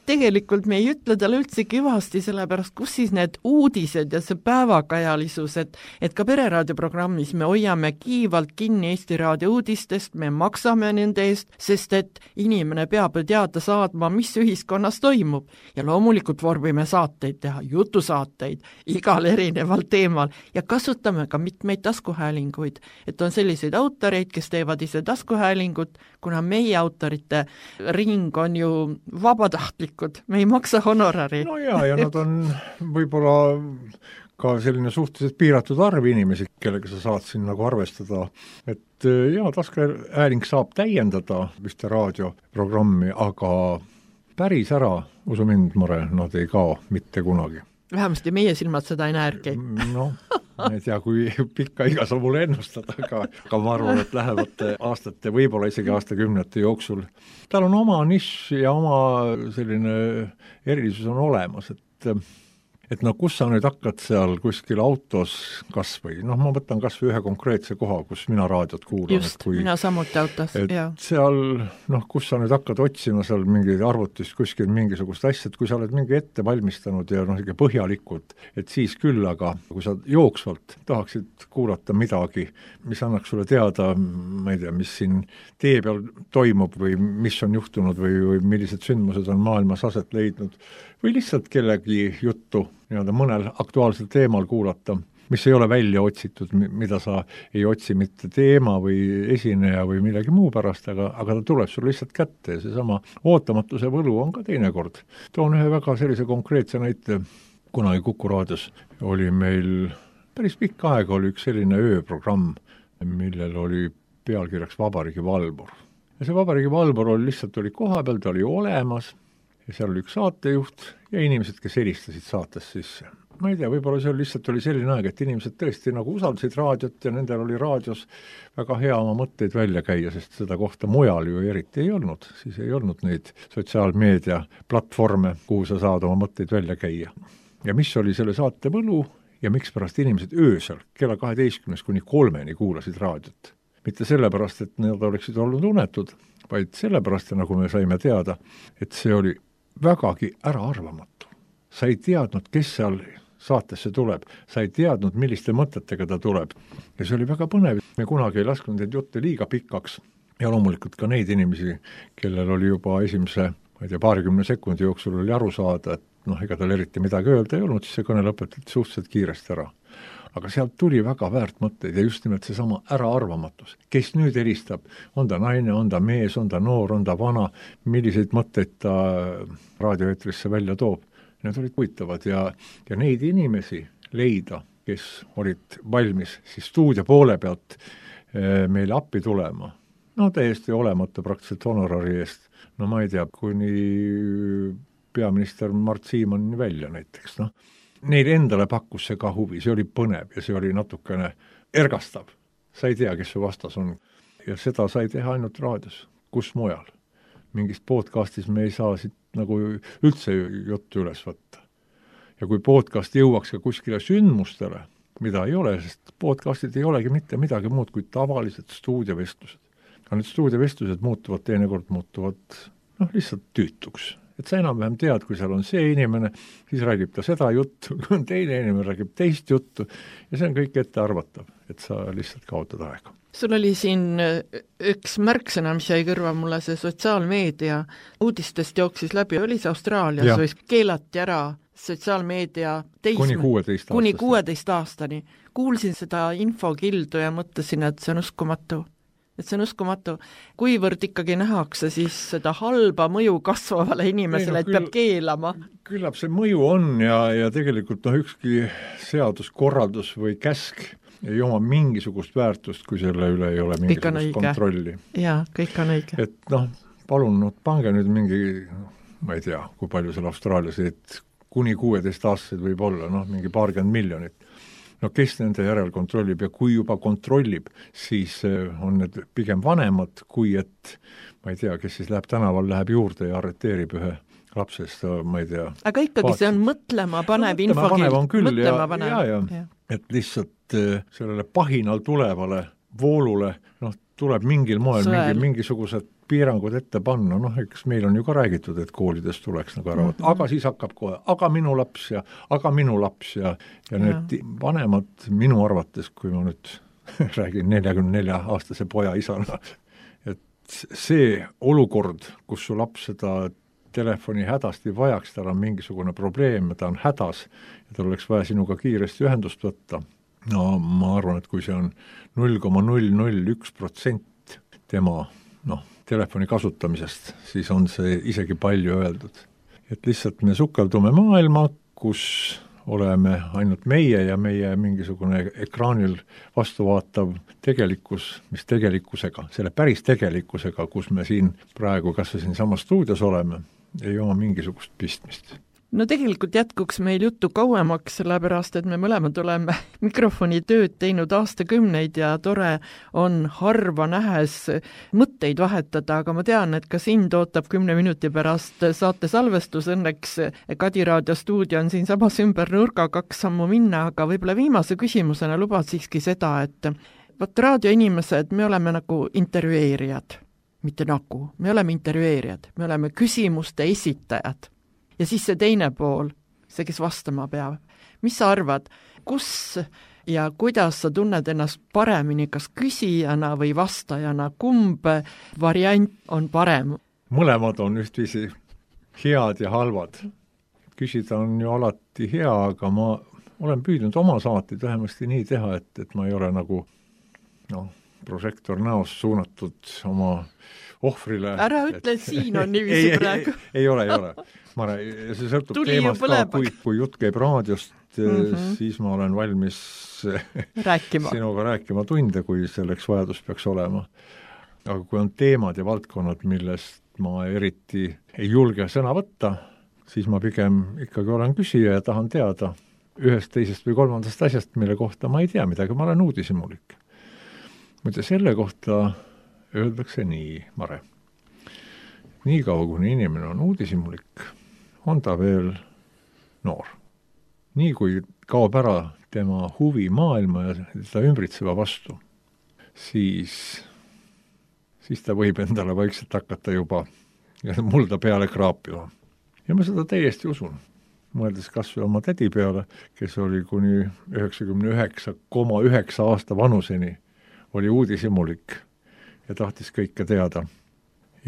Tegelikult me ei ütle talle üldsegi hüvasti, sellepärast kus siis need uudised ja see päevakajalisus, et ka pereraadioprogrammis me hoiame kiivalt kinni Eesti Raadio uudistest, me maksame nende eest, sest et inimene peab teada saadma, mis ühiskonnas toimub. Ja loomulikult vormime saateid teha, jutusaateid igal erineval teemal ja kasutame ka mitmeid taskuhäälinguid, et on selliseid autoreid, kes teevad ise taskuhäälingut, kuna meie autorite ring on ju vabatahtlikud, me ei maksa honorari. No ja nad on võib-olla ka selline suhteliselt piiratud arv inimesi, kellega sa saad siin nagu arvestada, et taskuhääling saab täiendada ühte raadioprogrammi, aga päris ära, usu mind, Mare, nad ei kao mitte kunagi. Vähemasti meie silmad seda ei näergi. Ma ei tea, kui pikka iga sa mulle ennustada, aga ma arvan, et lähevate aastate, võib-olla isegi aastakümnete jooksul. Tal on oma nišš ja oma selline erilisus on olemas, et kus sa nüüd hakkad seal kuskil autos kas või, ma võtan kas või ühe konkreetse koha, kus mina raadiot kuulan. Just, mina samuti autos, jah. Seal, kus sa nüüd hakkad otsima seal mingi arvutist kuskil mingisugust asja, et kui sa oled mingi ette valmistanud ja põhjalikult, et siis küll, aga kui sa jooksvalt tahaksid kuulata midagi, mis annaks sulle teada, ma ei tea, mis siin tee peal toimub või mis on juhtunud või millised sündmused on maailmas aset leidnud, või lihtsalt kellegi juttu mõnel aktuaalsel teemal kuulata, mis ei ole välja otsitud, mida sa ei otsi mitte teema või esineja või millegi muu pärast, aga ta tuleb sul lihtsalt kätte ja seesama ootamatuse võlu on ka teinekord. Toon ühe väga sellise konkreetse näite, kunagi Kuku raadios oli meil päris pikka aega oli üks selline ööprogramm, millel oli pealkirjaks Vabariigi Valvur. Ja see Vabariigi Valvur lihtsalt oli koha peal, ta oli olemas, ja seal oli üks saatejuht ja inimesed, kes helistasid saates sisse. Ma ei tea, võib-olla see lihtsalt oli selline aeg, et inimesed tõesti nagu usaldasid raadiot ja nendel oli raadios väga hea oma mõtteid välja käia, sest seda kohta mujal ju eriti ei olnud. Siis ei olnud neid sotsiaalmeedia platvorme, kuhu sa saad oma mõtteid välja käia. Ja mis oli selle saate võlu ja miks pärast inimesed öösel kella 12 kuni 3 kuulasid raadiot. Mitte sellepärast, et nad oleksid olnud unetud, vaid sellepärast, nagu me saime teada, et see oli vägagi äraarvamatu. Sa ei teadnud, kes seal saatesse tuleb, sa ei teadnud, milliste mõtetega ta tuleb. Ja see oli väga põnev. Me kunagi ei lasknud neid jutte liiga pikaks ja loomulikult ka neid inimesi, kellel oli juba esimese, 20 sekundi jooksul oli aru saada, et ega tal eriti midagi öelda ei olnud, siis see kõne lõpetati suhteliselt kiiresti ära. Aga sealt tuli väga väärt mõtteid ja just nimelt seesama äraarvamatus. Kes nüüd helistab, on ta naine, on ta mees, on ta noor, on ta vana, milliseid mõtteid ta raadioeetrisse välja toob. Need olid huvitavad ja neid inimesi leida, kes olid valmis siis stuudio poole pealt meile appi tulema. Täiesti olemata praktiliselt honorari eest. Ma ei tea, kuni peaminister Mart Siimoni välja näiteks, Neil endale pakkus see ka huvi, see oli põnev ja see oli natukene ergastav. Sa ei tea, kes su vastas on. Ja seda sai teha ainult raadios. Kus mujal? mingist podcastis me ei saa siit nagu üldse juttu üles võtta. Ja kui podcast jõuaks ka kuskile sündmustele, mida ei ole, sest podcastid ei olegi mitte midagi muud kui tavalised stuudiovestlused. Aga need stuudiovestlused teinekord muutuvad lihtsalt tüütuks. Et sa enam-vähem tead, kui seal on see inimene, siis räägib ta seda juttu, kui on teine inimene, räägib teist juttu ja see on kõik ette arvatav, et sa lihtsalt kaotad aega. Sul oli siin üks märksõna, mis jäi kõrva mulle, see sotsiaalmeedia uudistest jooksis läbi, oli see Austraalias või keelati ära sotsiaalmeedia kuni 16 aastani. Kuulsin seda infokildu ja mõtlesin, et see on uskumatu. Kuivõrd ikkagi nähakse siis seda halba mõju kasvavale inimesele, et peab keelama? Küllap see mõju on ja tegelikult ükski seaduskorraldus või käsk ei oma mingisugust väärtust, kui selle üle ei ole mingisugust kontrolli. Jaa, kõik on õige. Et palun, pange nüüd mingi, ma ei tea, kui palju seal Austraalias, et kuni 16 aastased võib olla, mingi 20 miljonit. Kes nende järel kontrollib ja kui juba kontrollib, siis on need pigem vanemad, kui et, ma ei tea, kes siis läheb tänaval, läheb juurde ja arreteerib ühe lapsest, ma ei tea. Aga ikkagi see on mõtlema panev infokild. Ja. Et lihtsalt sellele pahinal tulevale voolule, tuleb mingil moel mingisugused piirangud ette panna, eks meil on ju ka räägitud, et koolides tuleks nagu ära võtta, aga siis hakkab kohe, aga minu laps ja need vanemad minu arvates, kui ma nüüd räägin 44-aastase poja isana, et see olukord, kus su laps seda telefoni hädasti vajaks, tal on mingisugune probleem, ta on hädas ja tal oleks vaja sinuga kiiresti ühendust võtta, ma arvan, et kui see on 0,001% tema telefoni kasutamisest, siis on see isegi palju öeldud. Et lihtsalt me sukeldume maailma, kus oleme ainult meie ja meie mingisugune ekraanil vastuvaatav tegelikkus, mis tegelikkusega, selle päris tegelikkusega, kus me siin praegu kas või siin samas stuudios oleme, ei oma mingisugust pistmist. No tegelikult jätkuks meil juttu kauemaks, sellepärast, et me mõlemad oleme mikrofoni tööd teinud aastakümneid ja tore on harva nähes mõtteid vahetada, aga ma tean, et ka sind ootab 10 minuti pärast saate salvestus, õnneks Kadi Raadio stuudio on siin samas ümber nurga 2 sammu minna, aga võib-olla viimase küsimusena lubad siiski seda, et raadioinimesed, me oleme nagu intervjueerijad, mitte nagu, me oleme intervjueerijad, me oleme küsimuste esitajad. Ja siis see teine pool, see, kes vastama peab. Mis sa arvad, kus ja kuidas sa tunned ennast paremini, kas küsijana või vastajana, kumb variant on parem? Mõlemad on ühtviisi head ja halvad. Küsida on ju alati hea, aga ma olen püüdnud oma saateid vähemasti nii teha, et ma ei ole nagu prožektor näos suunatud oma ohvrile. Ära ütle, et siin on niiviisi praegu. Ei ole. See sõltub teemast ka, kui jutt käib raadiost, siis ma olen valmis sinuga rääkima tunde, kui selleks vajadus peaks olema. Aga kui on teemad ja valdkonnad, millest ma eriti ei julge sõna võtta, siis ma pigem ikkagi olen küsija ja tahan teada ühest, teisest või kolmandast asjast, mille kohta ma ei tea midagi, ma olen uudishimulik. Muide, selle kohta öeldakse nii, Mare. Nii kaua, kuni inimene on uudishimulik, on ta veel noor. Nii kui kaob ära tema huvi maailma ja ta ümbritseva vastu, siis ta võib endale vaikselt hakata juba mulda peale kraapima. Ja ma seda täiesti usun. Mõeldes kas või oma tädi peale, kes oli kuni 99,9 aasta vanuseni, oli uudishimulik ja tahtis kõike teada.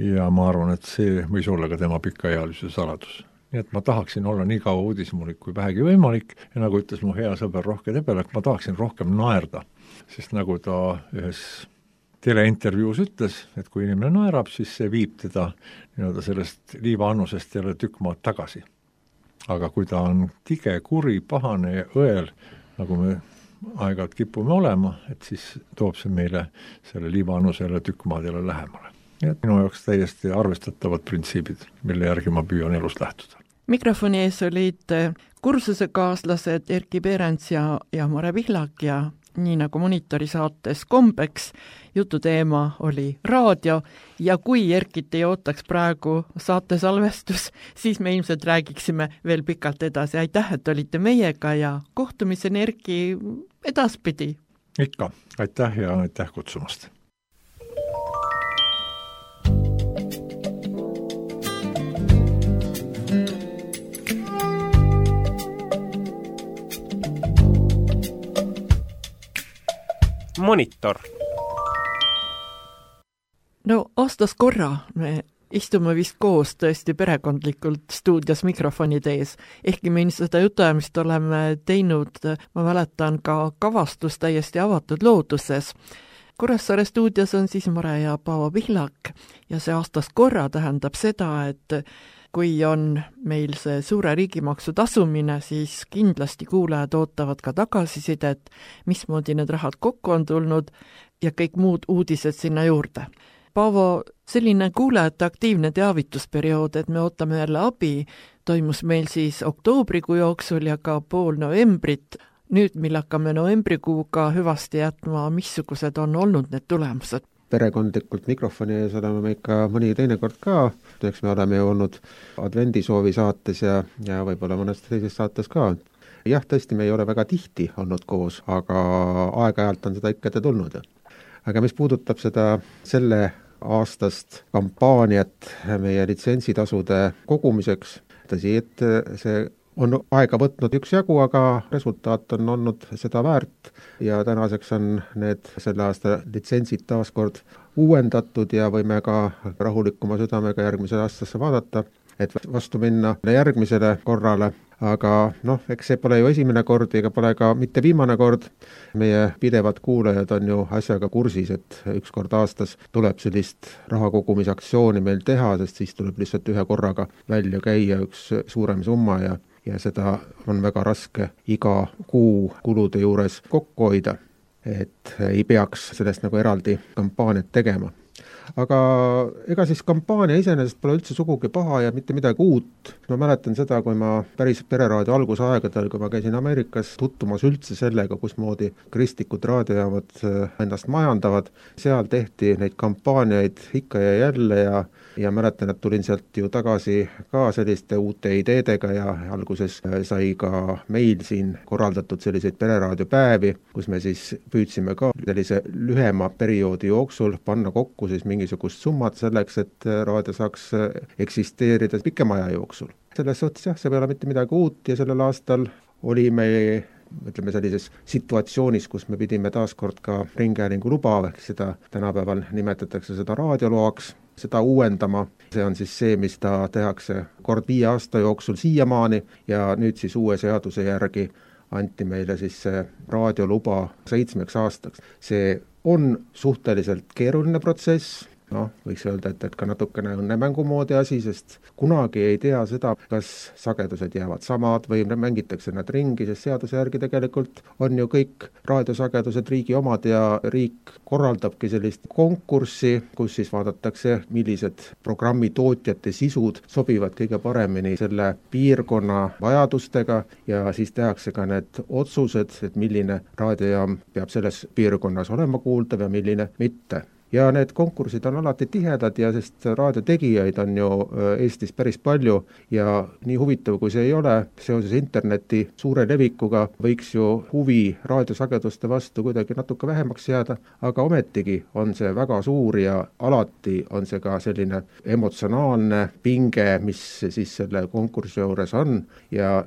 Ja ma arvan, et see võis olla ka tema pikaealise saladus. Nii et ma tahaksin olla nii kaua uudishimulik kui vähegi võimalik ja nagu ütles mu hea sõber Rohke Tebelek, ma tahaksin rohkem naerda, sest nagu ta ühes teleintervjuus ütles, et kui inimene naerab, siis see viib teda sellest liivaannusest jälle tükk maad tagasi. Aga kui ta on tige, kuri, pahane ja õel, nagu me aeg-ajalt kipume olema, et siis toob see meile selle liivaannusele tükk maad jälle lähemale. Nii et minu jaoks täiesti arvestatavad printsiibid, mille järgi ma püüan elust lähtuda. Mikrofoni ees olid kursusekaaslased Erki Peerents ja Mare Pihlak ja nii nagu Monitori saates kombeks, jututeema oli raadio ja kui Erkit ei ootaks praegu saatesalvestus, siis me ilmselt räägiksime veel pikalt edasi. Aitäh, et olite meiega ja kohtumiseni, Erki, edaspidi! Ikka, aitäh ja aitäh kutsumast! Monitor. No aastas korra me istume vist koos tõesti perekondlikult stuudios mikrofonide ees, ehkki me seda jutuajamist oleme teinud, ma mäletan ka kavastus täiesti avatud looduses. Kuressaare stuudios on siis Mare ja Paavo Pihlak ja see aastas korra tähendab seda, et kui on meil see suure riigimaksu tasumine, siis kindlasti kuulajad ootavad ka tagasisidet, mismoodi need rahad kokku on tulnud ja kõik muud uudised sinna juurde. Paavo, selline kuulajate aktiivne teavitusperiood, et me ootame jälle abi, toimus meil siis oktoobrikuu jooksul ja ka pool novembrit. Nüüd, mil hakkame novembrikuuga hüvasti jätma, missugused on olnud need tulemused? Perekondlikult mikrofoni ees oleme me ikka mõni teinekord ka, eks me oleme ju olnud advendisoovi saates ja võib-olla mõnes teises saates ka. Jah, tõesti, me ei ole väga tihti olnud koos, aga aeg-ajalt on seda ikka tulnud. Aga mis puudutab seda selle aastast kampaaniat meie litsentsitasude kogumiseks, tõsi, et see on aega võtnud üksjagu, aga resultaat on olnud seda väärt ja tänaseks on need selle aasta litsentsid taaskord uuendatud ja võime ka rahulikuma südamega järgmisel aastasse vaadata, et vastu minna järgmisele korrale. Aga eks see pole ju esimene kord ega pole ka mitte viimane kord. Meie pidevad kuulajad on ju asjaga kursis, et üks kord aastas tuleb sellist rahakogumisaktsiooni meil teha, sest siis tuleb lihtsalt ühe korraga välja käia üks suurem summa ja seda on väga raske iga kuu kulude juures kokku hoida, et ei peaks sellest nagu eraldi kampaaniat tegema. Aga ega siis kampaania iseenesest pole üldse sugugi paha ja mitte midagi uut. Ma mäletan seda, kui ma päris pereraadio algusaegadel, kui ma käisin Ameerikas tuttumas üldse sellega, kusmoodi kristlikud raadiojaamad ennast majandavad. Seal tehti neid kampaaniaid ikka ja jälle ja mäletan, et tulin sealt ju tagasi ka selliste uute ideedega ja alguses sai ka meil siin korraldatud selliseid pereraadiopäevi, kus me siis püüdsime ka sellise lühema perioodi jooksul panna kokku siis mingisugust summat selleks, et raadio saaks eksisteerida pikema aja jooksul. Selles suhtes jah, see ei ole mitte midagi uut ja sellel aastal oli me ütleme sellises situatsioonis, kus me pidime taaskord ka ringhäälingu luba, ehk seda tänapäeval nimetatakse seda raadioloaks, seda uuendama. See on siis see, mis ta tehakse kord 5 aasta jooksul siiamaani ja nüüd siis uue seaduse järgi anti meile siis see raadioluba 7 aastaks. See on suhteliselt keeruline protsess, võiks öelda, et ka natukene õnnemängu moodi asi, sest kunagi ei tea seda, kas sagedused jäävad samad või mängitakse nad ringi, sest seaduse järgi tegelikult on ju kõik raadiosagedused riigi omad ja riik korraldabki sellist konkurssi, kus siis vaadatakse, millised programmitootjate sisud sobivad kõige paremini selle piirkonna vajadustega ja siis tehakse ka need otsused, et milline raadiojaam peab selles piirkonnas olema kuuldav ja milline mitte. Ja need konkursid on alati tihedad ja sest raadiotegijaid on ju Eestis päris palju ja nii huvitav kui see ei ole, seoses interneti suure levikuga võiks ju huvi raadiosageduste vastu kuidagi natuke vähemaks jääda, aga ometigi on see väga suur ja alati on see ka selline emotsionaalne pinge, mis siis selle konkursi juures on ja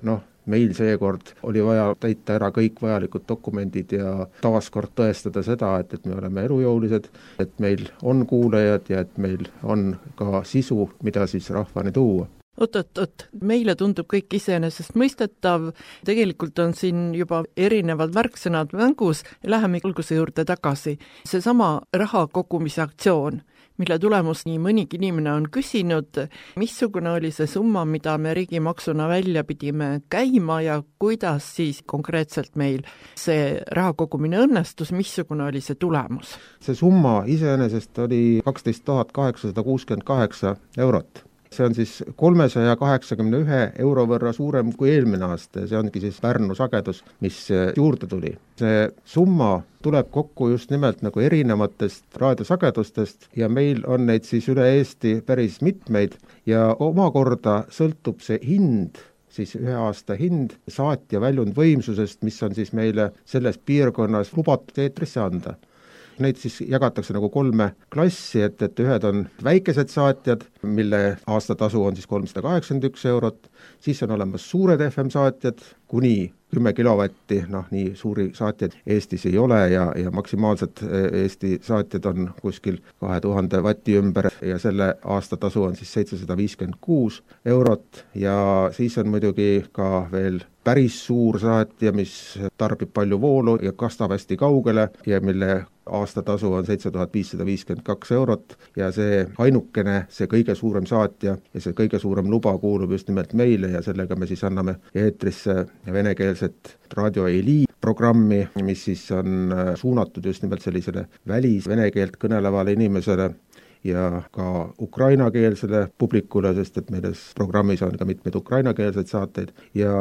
meil seekord oli vaja täita ära kõik vajalikud dokumendid ja taaskord tõestada seda, et me oleme elujõulised, et meil on kuulajad ja et meil on ka sisu, mida siis rahvani tuua. Oot, meile tundub kõik iseenesest mõistetav, tegelikult on siin juba erinevad märksõnad mängus ja läheme alguse juurde tagasi. Seesama raha kogumise aktsioon, mille tulemus nii mõnigi inimene on küsinud, missugune oli see summa, mida me riigimaksuna välja pidime käima ja kuidas siis konkreetselt meil see raha kogumine õnnestus, missugune oli see tulemus? See summa iseenesest oli 12 868 eurot. see on siis 381 euro võrra suurem kui eelmine aasta ja see ongi siis Pärnu sagedus, mis juurde tuli. See summa tuleb kokku just nimelt nagu erinevatest raadiosagedustest ja meil on neid siis üle Eesti päris mitmeid ja omakorda sõltub see hind, siis ühe aasta hind saatja väljundvõimsusest, mis on siis meile selles piirkonnas lubatud eetrisse anda. Neid siis jagatakse nagu 3 klassi, et ühed on väikesed saatjad, mille aastatasu on siis 381 eurot, siis on olemas suured FM saatjad, kuni 10 kilovatti, nii suuri saatjaid Eestis ei ole ja maksimaalselt Eesti saatjad on kuskil 2000 vatti ümber ja selle aastatasu on siis 756 eurot ja siis on muidugi ka veel päris suur saatja, mis tarbib palju voolu ja kastab hästi kaugele ja mille aastatasu on 7552 eurot ja see ainukene, see kõige suurem saatja ja see kõige suurem luba kuulub just nimelt meile ja sellega me siis anname eetrisse venekeelset Raadio Eli programmi, mis siis on suunatud just nimelt sellisele vene keelt kõnelevale inimesele ja ka ukrainakeelsele publikule, sest et meil programmis on ka mitmeid ukrainakeelseid saateid ja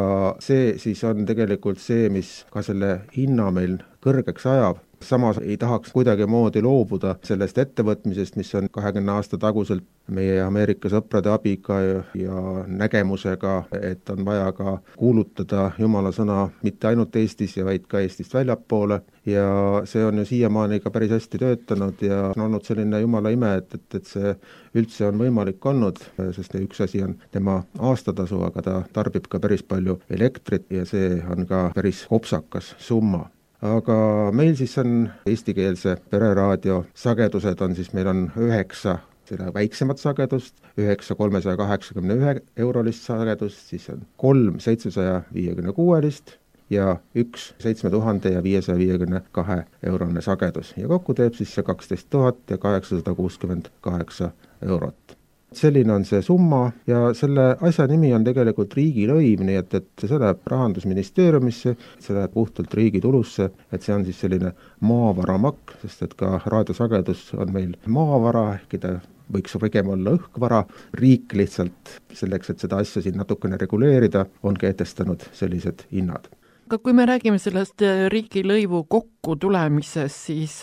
see siis on tegelikult see, mis ka selle hinna meil kõrgeks ajab. Samas ei tahaks kuidagimoodi loobuda sellest ettevõtmisest, mis on 20 aasta taguselt meie Ameerika sõprade abiga ja nägemusega, et on vaja ka kuulutada Jumala sõna mitte ainult Eestis, vaid ka Eestist väljapoole ja see on ju siiamaani ka päris hästi töötanud ja on olnud selline Jumala ime, et see üldse on võimalik olnud, sest üks asi on tema aastatasu, aga ta tarbib ka päris palju elektrit ja see on ka päris kopsakas summa. Aga meil siis on eestikeelse pereraadio sagedused on siis, meil on 9 seda väiksemat sagedust, 9 381 eurolist sagedust, siis on 3 756 ja 1 7552 eurone sagedus ja kokku teeb siis see 12 868 eurot. Selline on see summa ja selle asja nimi on tegelikult riigilõiv, nii et see läheb Rahandusministeeriumisse, see läheb puhtalt riigi tulusse, et see on siis selline maavaramakk, sest et ka raadiosagedus on meil maavara, ehkki ta võiks pigem olla õhkvara, riik lihtsalt selleks, et seda asja siin natukene reguleerida, on kehtestanud sellised hinnad. Aga kui me räägime sellest riigilõivu kokku tulemisest, siis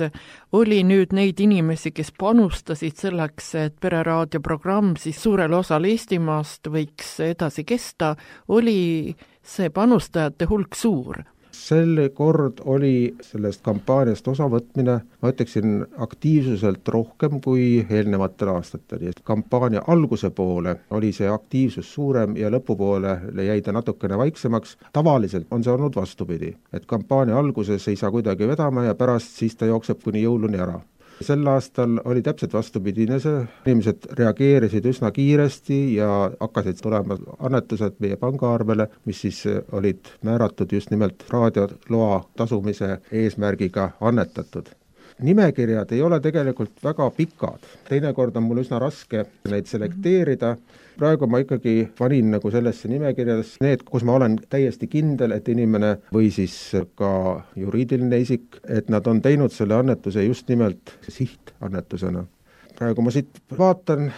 oli nüüd neid inimesi, kes panustasid selleks, et pereraadioprogramm siis suurel osal Eestimaast võiks edasi kesta, oli see panustajate hulk suur? Selle kord oli sellest kampaaniast osavõtmine, ma ütleksin, aktiivsuselt rohkem kui eelnevatel aastatel. Kampaania alguse poole oli see aktiivsus suurem ja lõpupoole jäi ta natukene vaiksemaks. Tavaliselt on see olnud vastupidi, et kampaania alguses ei saa kuidagi vedama ja pärast siis ta jookseb kuni jõuluni ära. Sel aastal oli täpselt vastupidine see, inimesed reageerisid üsna kiiresti ja hakkasid tulema annetused meie pangaarvele, mis siis olid määratud just nimelt raadioloa tasumise eesmärgiga annetatud. Nimekirjad ei ole tegelikult väga pikad, teinekord on mul üsna raske neid selekteerida. Praegu ma ikkagi panin nagu sellesse nimekirjades need, kus ma olen täiesti kindel, et inimene või siis ka juriidiline isik, et nad on teinud selle annetuse just nimelt sihtannetusena. Praegu ma siit vaatan,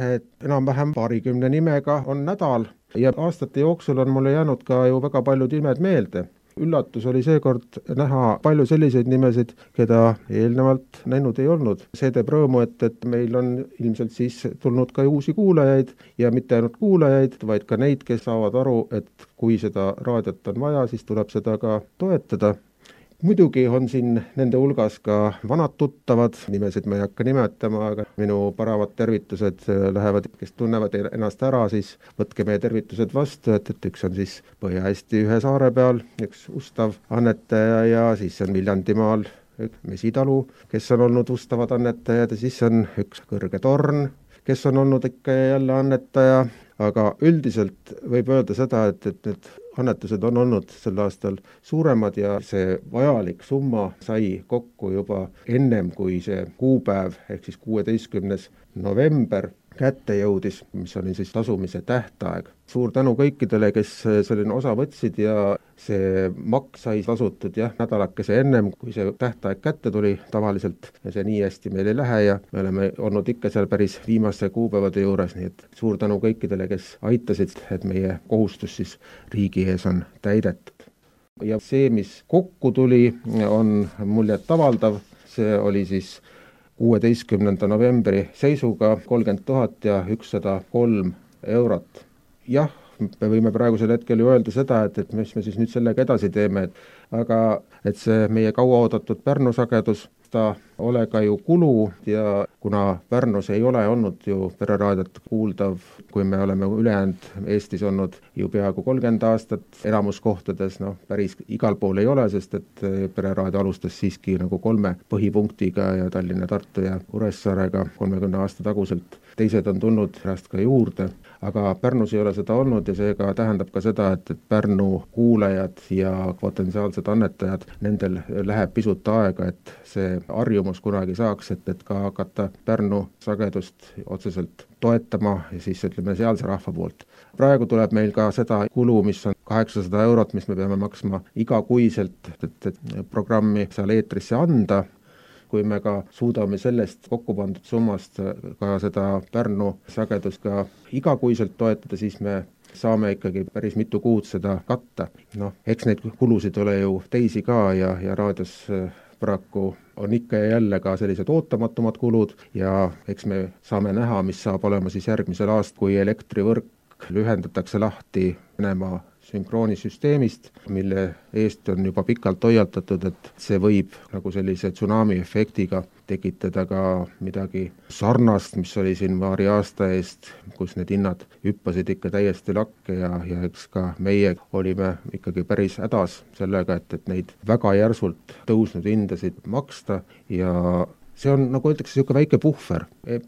et enam-vähem 20 nimega on nädal ja aastate jooksul on mulle jäänud ka ju väga paljud nimed meelde. Üllatus oli seekord näha palju selliseid nimesid, keda eelnevalt näinud ei olnud. See teeb rõõmu, et meil on ilmselt siis tulnud ka uusi kuulajaid ja mitte ainult kuulajaid, vaid ka neid, kes saavad aru, et kui seda raadiot on vaja, siis tuleb seda ka toetada. Muidugi on siin nende hulgas ka vanad tuttavad, nimesid ma ei hakka nimetama, aga minu paravad tervitused lähevad, kes tunnevad ennast ära, siis võtke meie tervitused vastu, et üks on siis Põhja-Eesti ühe saare peal, üks ustav annetaja ja siis on Viljandimaal Mesitalu, kes on olnud ustavad annetajad ja siis on üks Kõrge Torn, kes on olnud ikka jälle annetaja, aga üldiselt võib öelda seda, et need annetused on olnud sel aastal suuremad ja see vajalik summa sai kokku juba ennem kui see kuupäev, ehk siis 16. november, kätte jõudis, mis oli siis tasumise tähtaeg. Suur tänu kõikidele, kes selline osa võtsid ja see maks sai tasutud nädalakese ennem, kui see tähtaeg kätte tuli. Tavaliselt see nii hästi meil ei lähe ja me oleme olnud ikka seal päris viimaste kuupäevade juures, nii et suur tänu kõikidele, kes aitasid, et meie kohustus siis riigi ees on täidetud. Ja see, mis kokku tuli, on muljetavaldav. See oli siis 16. novembri seisuga 30 103 eurot. Jah, me võime praegusel hetkel ju öelda seda, et mis me siis nüüd sellega edasi teeme, aga et see meie kauaoodatud Pärnu sagedus, ta ole ka ju kulu ja kuna Pärnus ei ole olnud ju pereraadiot kuuldav, kui me oleme ülejäänud Eestis olnud ju peaaegu 30 aastat, elamuskohtades, päris igal pool ei ole, sest et pereraadio alustas siiski nagu 3 põhipunktiga ja Tallinna, Tartu ja Kuressaarega 30 aasta taguselt. Teised on tulnud pärast ka juurde, aga Pärnus ei ole seda olnud ja seega tähendab ka seda, et Pärnu kuulajad ja potentsiaalsed annetajad, nendel läheb pisut aega, et see harjumus kunagi saaks, et ka hakata Pärnu sagedust otseselt toetama ja siis ütleme sealse rahva poolt. Praegu tuleb meil ka seda kulu, mis on 800 eurot, mis me peame maksma igakuiselt, et programmi seal eetrisse anda. Kui me ka suudame sellest kokku pandud summast ka seda Pärnu sagedust ka igakuiselt toetada, siis me saame ikkagi päris mitu kuud seda katta. Eks neid kulusid ole ju teisi ka ja raadios paraku on ikka ja jälle ka sellised ootamatumad kulud ja eks me saame näha, mis saab olema siis järgmisel aastal, kui elektrivõrk lühendatakse lahti Venemaa sünkroonisüsteemist, mille eest on juba pikalt hoiatatud, et see võib nagu sellise tsunami efektiga tekitada ka midagi sarnast, mis oli siin paari aasta eest, kus need hinnad hüppasid ikka täiesti lakke ja eks ka meie olime ikkagi päris hädas sellega, et neid väga järsult tõusnud hindasid maksta ja see on, nagu öeldakse, niisugune väike puhver.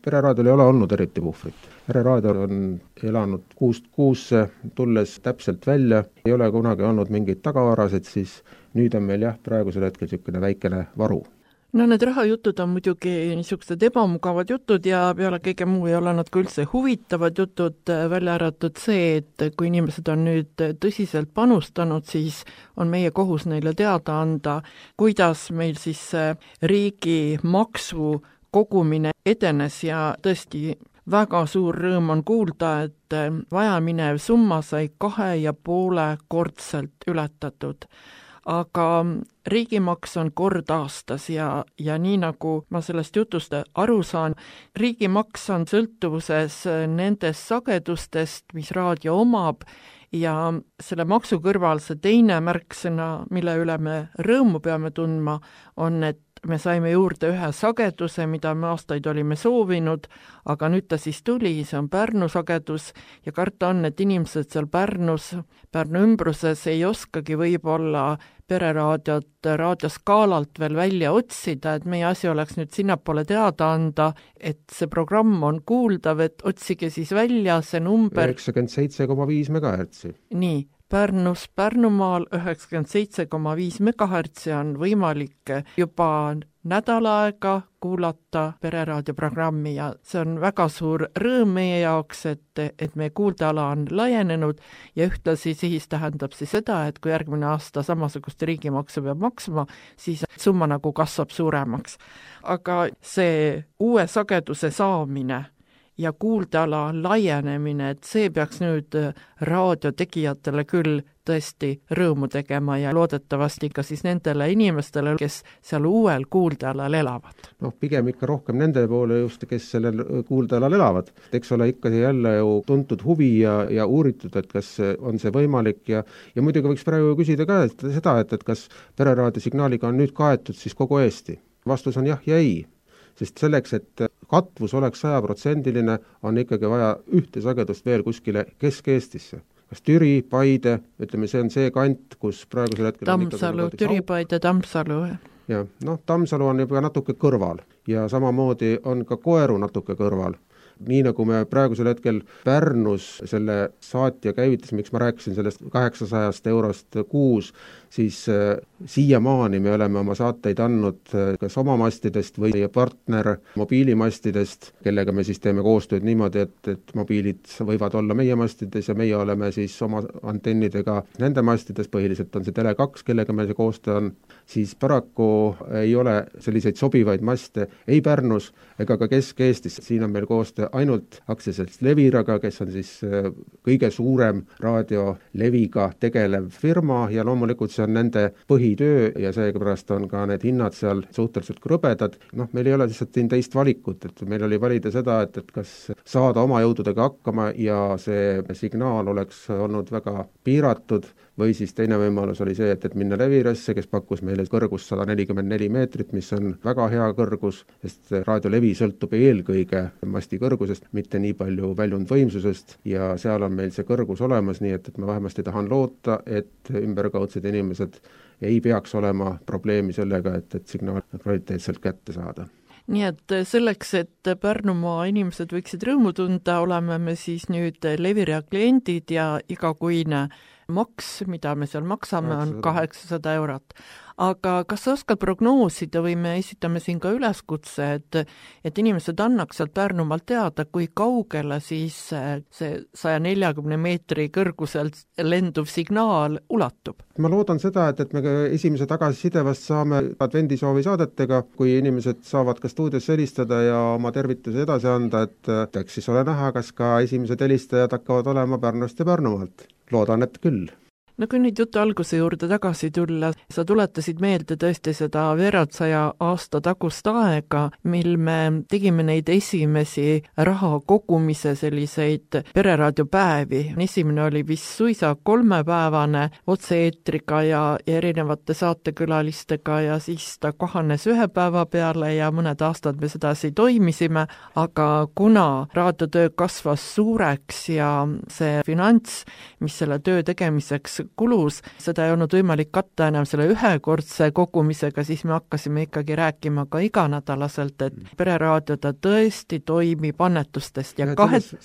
Pereraadiol ei ole olnud eriti puhvrit. Pereraadio on elanud kuust kuusse, tulles täpselt välja, ei ole kunagi olnud mingeid tagavarasid, siis nüüd on meil praegusel hetkel niisugune väikene varu. No need rahajutud on muidugi niisugused ebamugavad jutud ja peale kõige muu ei ole nad ka üldse huvitavad jutud, välja arvatud see, et kui inimesed on nüüd tõsiselt panustanud, siis on meie kohus neile teada anda, kuidas meil siis riigi maksu kogumine edenes ja tõesti väga suur rõõm on kuulda, et vajaminev summa sai 2,5-kordselt ületatud. Aga riigimaks on kord aastas ja nii nagu ma sellest jutust aru saan, riigimaks on sõltuvuses nendest sagedustest, mis raadio omab ja selle maksu kõrval see teine märksõna, mille üle me rõõmu peame tundma, on, et me saime juurde ühe sageduse, mida me aastaid olime soovinud, aga nüüd ta siis tuli, see on Pärnu sagedus ja karta on, et inimesed seal Pärnus, Pärnu ümbruses ei oskagi võib-olla pereraadiot raadioskaalalt veel välja otsida, et meie asi oleks nüüd sinnapoole teada anda, et see programm on kuuldav, et otsige siis välja see number 97,5 megahertsi. Nii, Pärnus, Pärnumaal 97,5 megahertsi on võimalik juba nädal aega kuulata pereraadioprogrammi ja see on väga suur rõõm meie jaoks, et meie kuuldeala on laienenud ja ühtlasi siis tähendab siis seda, et kui järgmine aasta samasugust riigimaksu peab maksma, siis summa nagu kasvab suuremaks. Aga see uue sageduse saamine ja kuuldeala laienemine, et see peaks nüüd raadiotegijatele küll tõesti rõõmu tegema ja loodetavasti ka siis nendele inimestele, kes seal uuel kuuldealal elavad. Pigem ikka rohkem nende poole just, kes sellel kuuldealal elavad. Eks ole ikka jälle ju tuntud huvi ja uuritud, et kas on see võimalik ja muidugi võiks praegu küsida ka seda, et kas pereraadio signaaliga on nüüd kaetud siis kogu Eesti. Vastus on jah ja ei. Sest selleks, et katvus oleks 100%, on ikkagi vaja ühte sagedust veel kuskile Kesk-Eestisse. Kas Türi, Paide, ütleme, see on see kant, kus praegusel hetkel Tammsalu, Türi, Paide, Tammsalu. Ja, Tammsalu on juba natuke kõrval ja samamoodi on ka Koeru natuke kõrval. nii nagu me praegusel hetkel Pärnus selle saatja käivitas, miks ma rääkisin sellest 800 eurost kuus, siis siiamaani me oleme oma saateid andnud kas oma mastidest või partner mobiilimastidest, kellega me siis teeme koostööd niimoodi, et mobiilid võivad olla meie mastides ja meie oleme siis oma antennidega nende mastides, põhiliselt on see Tele2, kellega meil see koostöö on, siis paraku ei ole selliseid sobivaid maste ei Pärnus ega ka Kesk-Eestis. Siin on meil koostöö ainult aktsiaselts Leviraga, kes on siis kõige suurem raadioleviga tegelev firma ja loomulikult see on nende põhitöö ja seepärast on ka need hinnad seal suhteliselt krõbedad. Meil ei ole lihtsalt siin teist valikut, et meil oli valida seda, et kas saada oma jõududega hakkama ja see signaal oleks olnud väga piiratud või siis teine võimalus oli see, et minna Levirasse, kes pakkus meile kõrgust 144 meetrit, mis on väga hea kõrgus, sest raadiolevi sõltub eelkõige masti kõrgusest, mitte nii palju väljundvõimsusest ja seal on meil see kõrgus olemas, nii et ma vähemasti tahan loota, et ümberkaudsed inimesed ei peaks olema probleemi sellega, et signaal kvaliteetselt kätte saada. Nii et selleks, et Pärnumaa inimesed võiksid rõõmu tunda, oleme me siis nüüd Levira kliendid ja igakuine maks, mida me seal maksame, on 800 eurot. Aga kas sa oskad prognoosida või me esitame siin ka üleskutse, et inimesed annaks sealt Pärnumaalt teada, kui kaugele siis see 140 meetri kõrguselt lenduv signaal ulatub? Ma loodan seda, et me esimese tagasiside vast saame advendisoovi saadetega, kui inimesed saavad ka stuudiosse helistada ja oma tervituse edasi anda, et eks siis ole näha, kas ka esimesed helistajad hakkavad olema Pärnust ja Pärnumaalt. Loodan, et küll. No kui nüüd jutu alguse juurde tagasi tulla, sa tuletasid meelde tõesti seda veerand 100 aasta tagust aega, mil me tegime neid esimesi raha kogumise selliseid pereraadiopäevi. Esimene oli vist suisa 3-päevane otse-eetriga ja erinevate saatekülalistega ja siis ta kahanes 1 päeva peale ja mõned aastad me sedasi toimisime, aga kuna raadiotöö kasvas suureks ja see finants, mis selle töö tegemiseks kulus, seda ei olnud võimalik katta enam selle ühekordse kogumisega, siis me hakkasime ikkagi rääkima ka iganädalaselt, et pereraadio ta tõesti toimib annetustest. Ja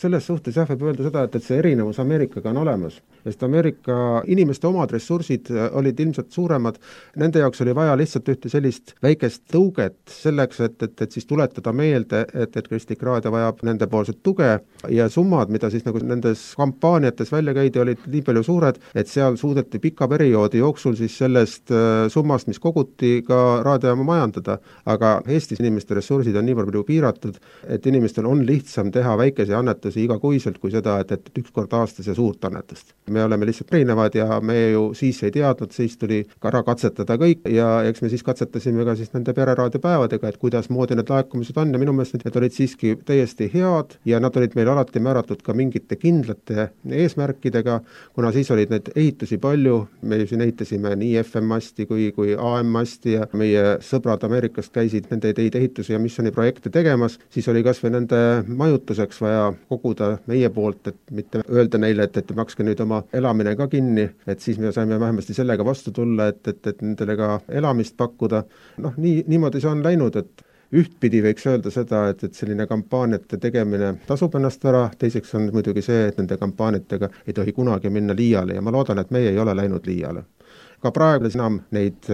selles suhtes võib öelda seda, et see erinevus Ameerikaga on olemas, sest Ameerika inimeste omad ressursid olid ilmselt suuremad, nende jaoks oli vaja lihtsalt ühte sellist väikest tõuget selleks, et siis tuletada meelde, et Kristlik Raadio vajab nende poolset tuge ja summad, mida siis nagu nendes kampaaniates välja käidi, olid nii palju suured, et seal suudeti pika perioodi jooksul siis sellest summast, mis koguti, ka raadiojaama majandada. Aga Eestis inimeste ressursid on nii palju piiratud, et inimestel on lihtsam teha väikese annetusi igakuiselt kui seda, et üks kord aastas ja suurt annetust. Me oleme lihtsalt erinevad ja me ju siis ei teadnud, siis tuli ära katsetada kõik ja eks me siis katsetasime ka siis nende pereraadiopäevadega, et kuidas moodi need laekumised on ja minu meelest need olid siiski täiesti head ja nad olid meil alati määratud ka mingite kindlate eesmärkidega, kuna siis olid need ehitusi palju, me siin ehitasime nii FM-masti kui AM-masti ja meie sõbrad Ameerikast käisid nende ehitusi ja missiooniprojekte tegemas, siis oli kas või nende majutuseks vaja koguda meie poolt, et mitte öelda neile, et makske nüüd oma elamine ka kinni, et siis me saime vähemasti sellega vastu tulla, et nendele ka elamist pakkuda. Niimoodi see on läinud, et ühtpidi võiks öelda seda, et selline kampaaniate tegemine tasub ennast ära, teiseks on muidugi see, et nende kampaaniatega ei tohi kunagi minna liiale ja ma loodan, et meie ei ole läinud liiale. Ka praegu enam neid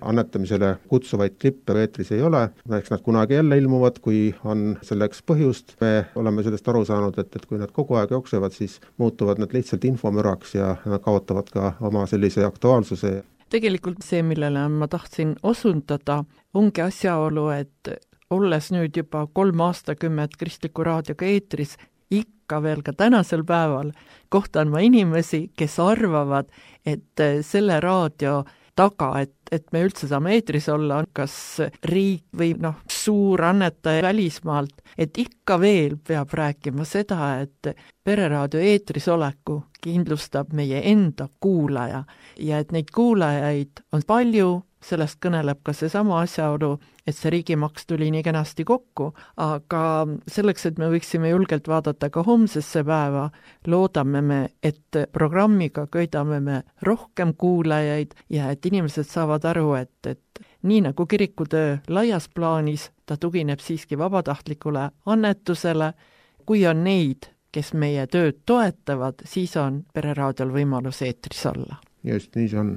annetamisele kutsuvaid klippe eetris ei ole, eks nad kunagi jälle ilmuvad, kui on selleks põhjust. Me oleme sellest aru saanud, et kui nad kogu aeg jooksevad, siis muutuvad nad lihtsalt infomüraks ja nad kaotavad ka oma sellise aktuaalsuse. Tegelikult see, millele ma tahtsin osundada, ongi asjaolu, et olles nüüd juba 3 aastakümmet Kristliku Raadioga eetris, ikka veel ka tänasel päeval kohtan ma inimesi, kes arvavad, et selle raadio taga, et me üldse saame eetris olla, kas riik või suur annetaja välismaalt, et ikka veel peab rääkima seda, et pereraadio eetris oleku kindlustab meie enda kuulaja ja et neid kuulajaid on palju, sellest kõneleb ka seesama asjaolu, et see riigimaks tuli nii kenasti kokku, aga selleks, et me võiksime julgelt vaadata ka homsesse päeva, loodame me, et programmiga köidame me rohkem kuulajaid ja et inimesed saavad aru, et nii nagu kirikutöö laias plaanis, ta tugineb siiski vabatahtlikule annetusele, kui on neid, kes meie tööd toetavad, siis on Pereraadiol võimalus eetris olla. Just, nii see on.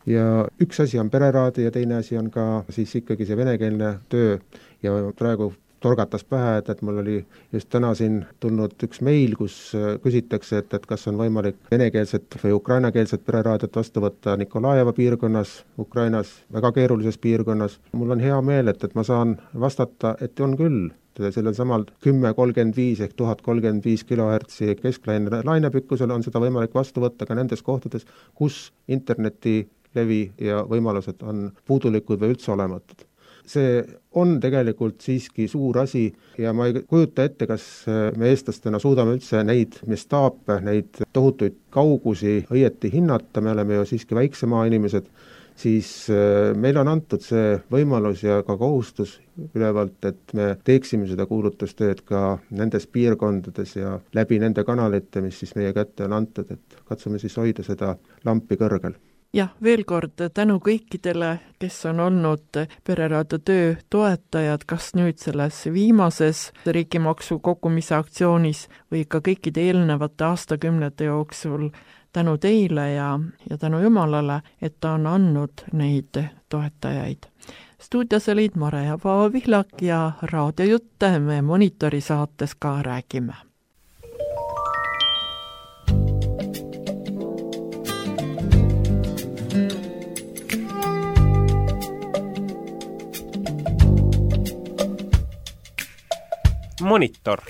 Ja üks asi on Pereraadio ja teine asi on ka siis ikkagi see venekeelne töö ja praegu torgatas pähe, et mul oli just täna siin tulnud üks meil, kus küsitakse, et kas on võimalik venekeelset või ukrainakeelset Pereraadiot vastu võtta Nikolajeva piirkonnas, Ukrainas, väga keerulises piirkonnas. Mul on hea meel, et ma saan vastata, et on küll. Sellel samal 1035 ehk 1035 kHz kesklaine lainepikkusel on seda võimalik vastu võtta ka nendes kohtades, kus internetilevi ja võimalused on puudulikud või üldse olematud. See on tegelikult siiski suur asi ja ma ei kujuta ette, kas me eestlastena suudame üldse neid mestaape, neid tohutuid kaugusi õieti hinnata, me oleme ju siiski väiksemaa inimesed, siis meil on antud see võimalus ja ka kohustus ülevalt, et me teeksime seda kuulutustööd ka nendes piirkondades ja läbi nende kanalite, mis siis meie kätte on antud, et katsume siis hoida seda lampi kõrgel. Jah, veel kord tänu kõikidele, kes on olnud Pereraadio töö toetajad, kas nüüd selles viimases riigimaksu kogumise aktsioonis või ka kõikide eelnevate aastakümnete jooksul, tänu teile ja tänu Jumalale, et ta on andnud neid toetajaid. Stuudios olid Mare ja Paavo Vihlak ja raadiojutte me Monitori saates ka räägime. Monitor.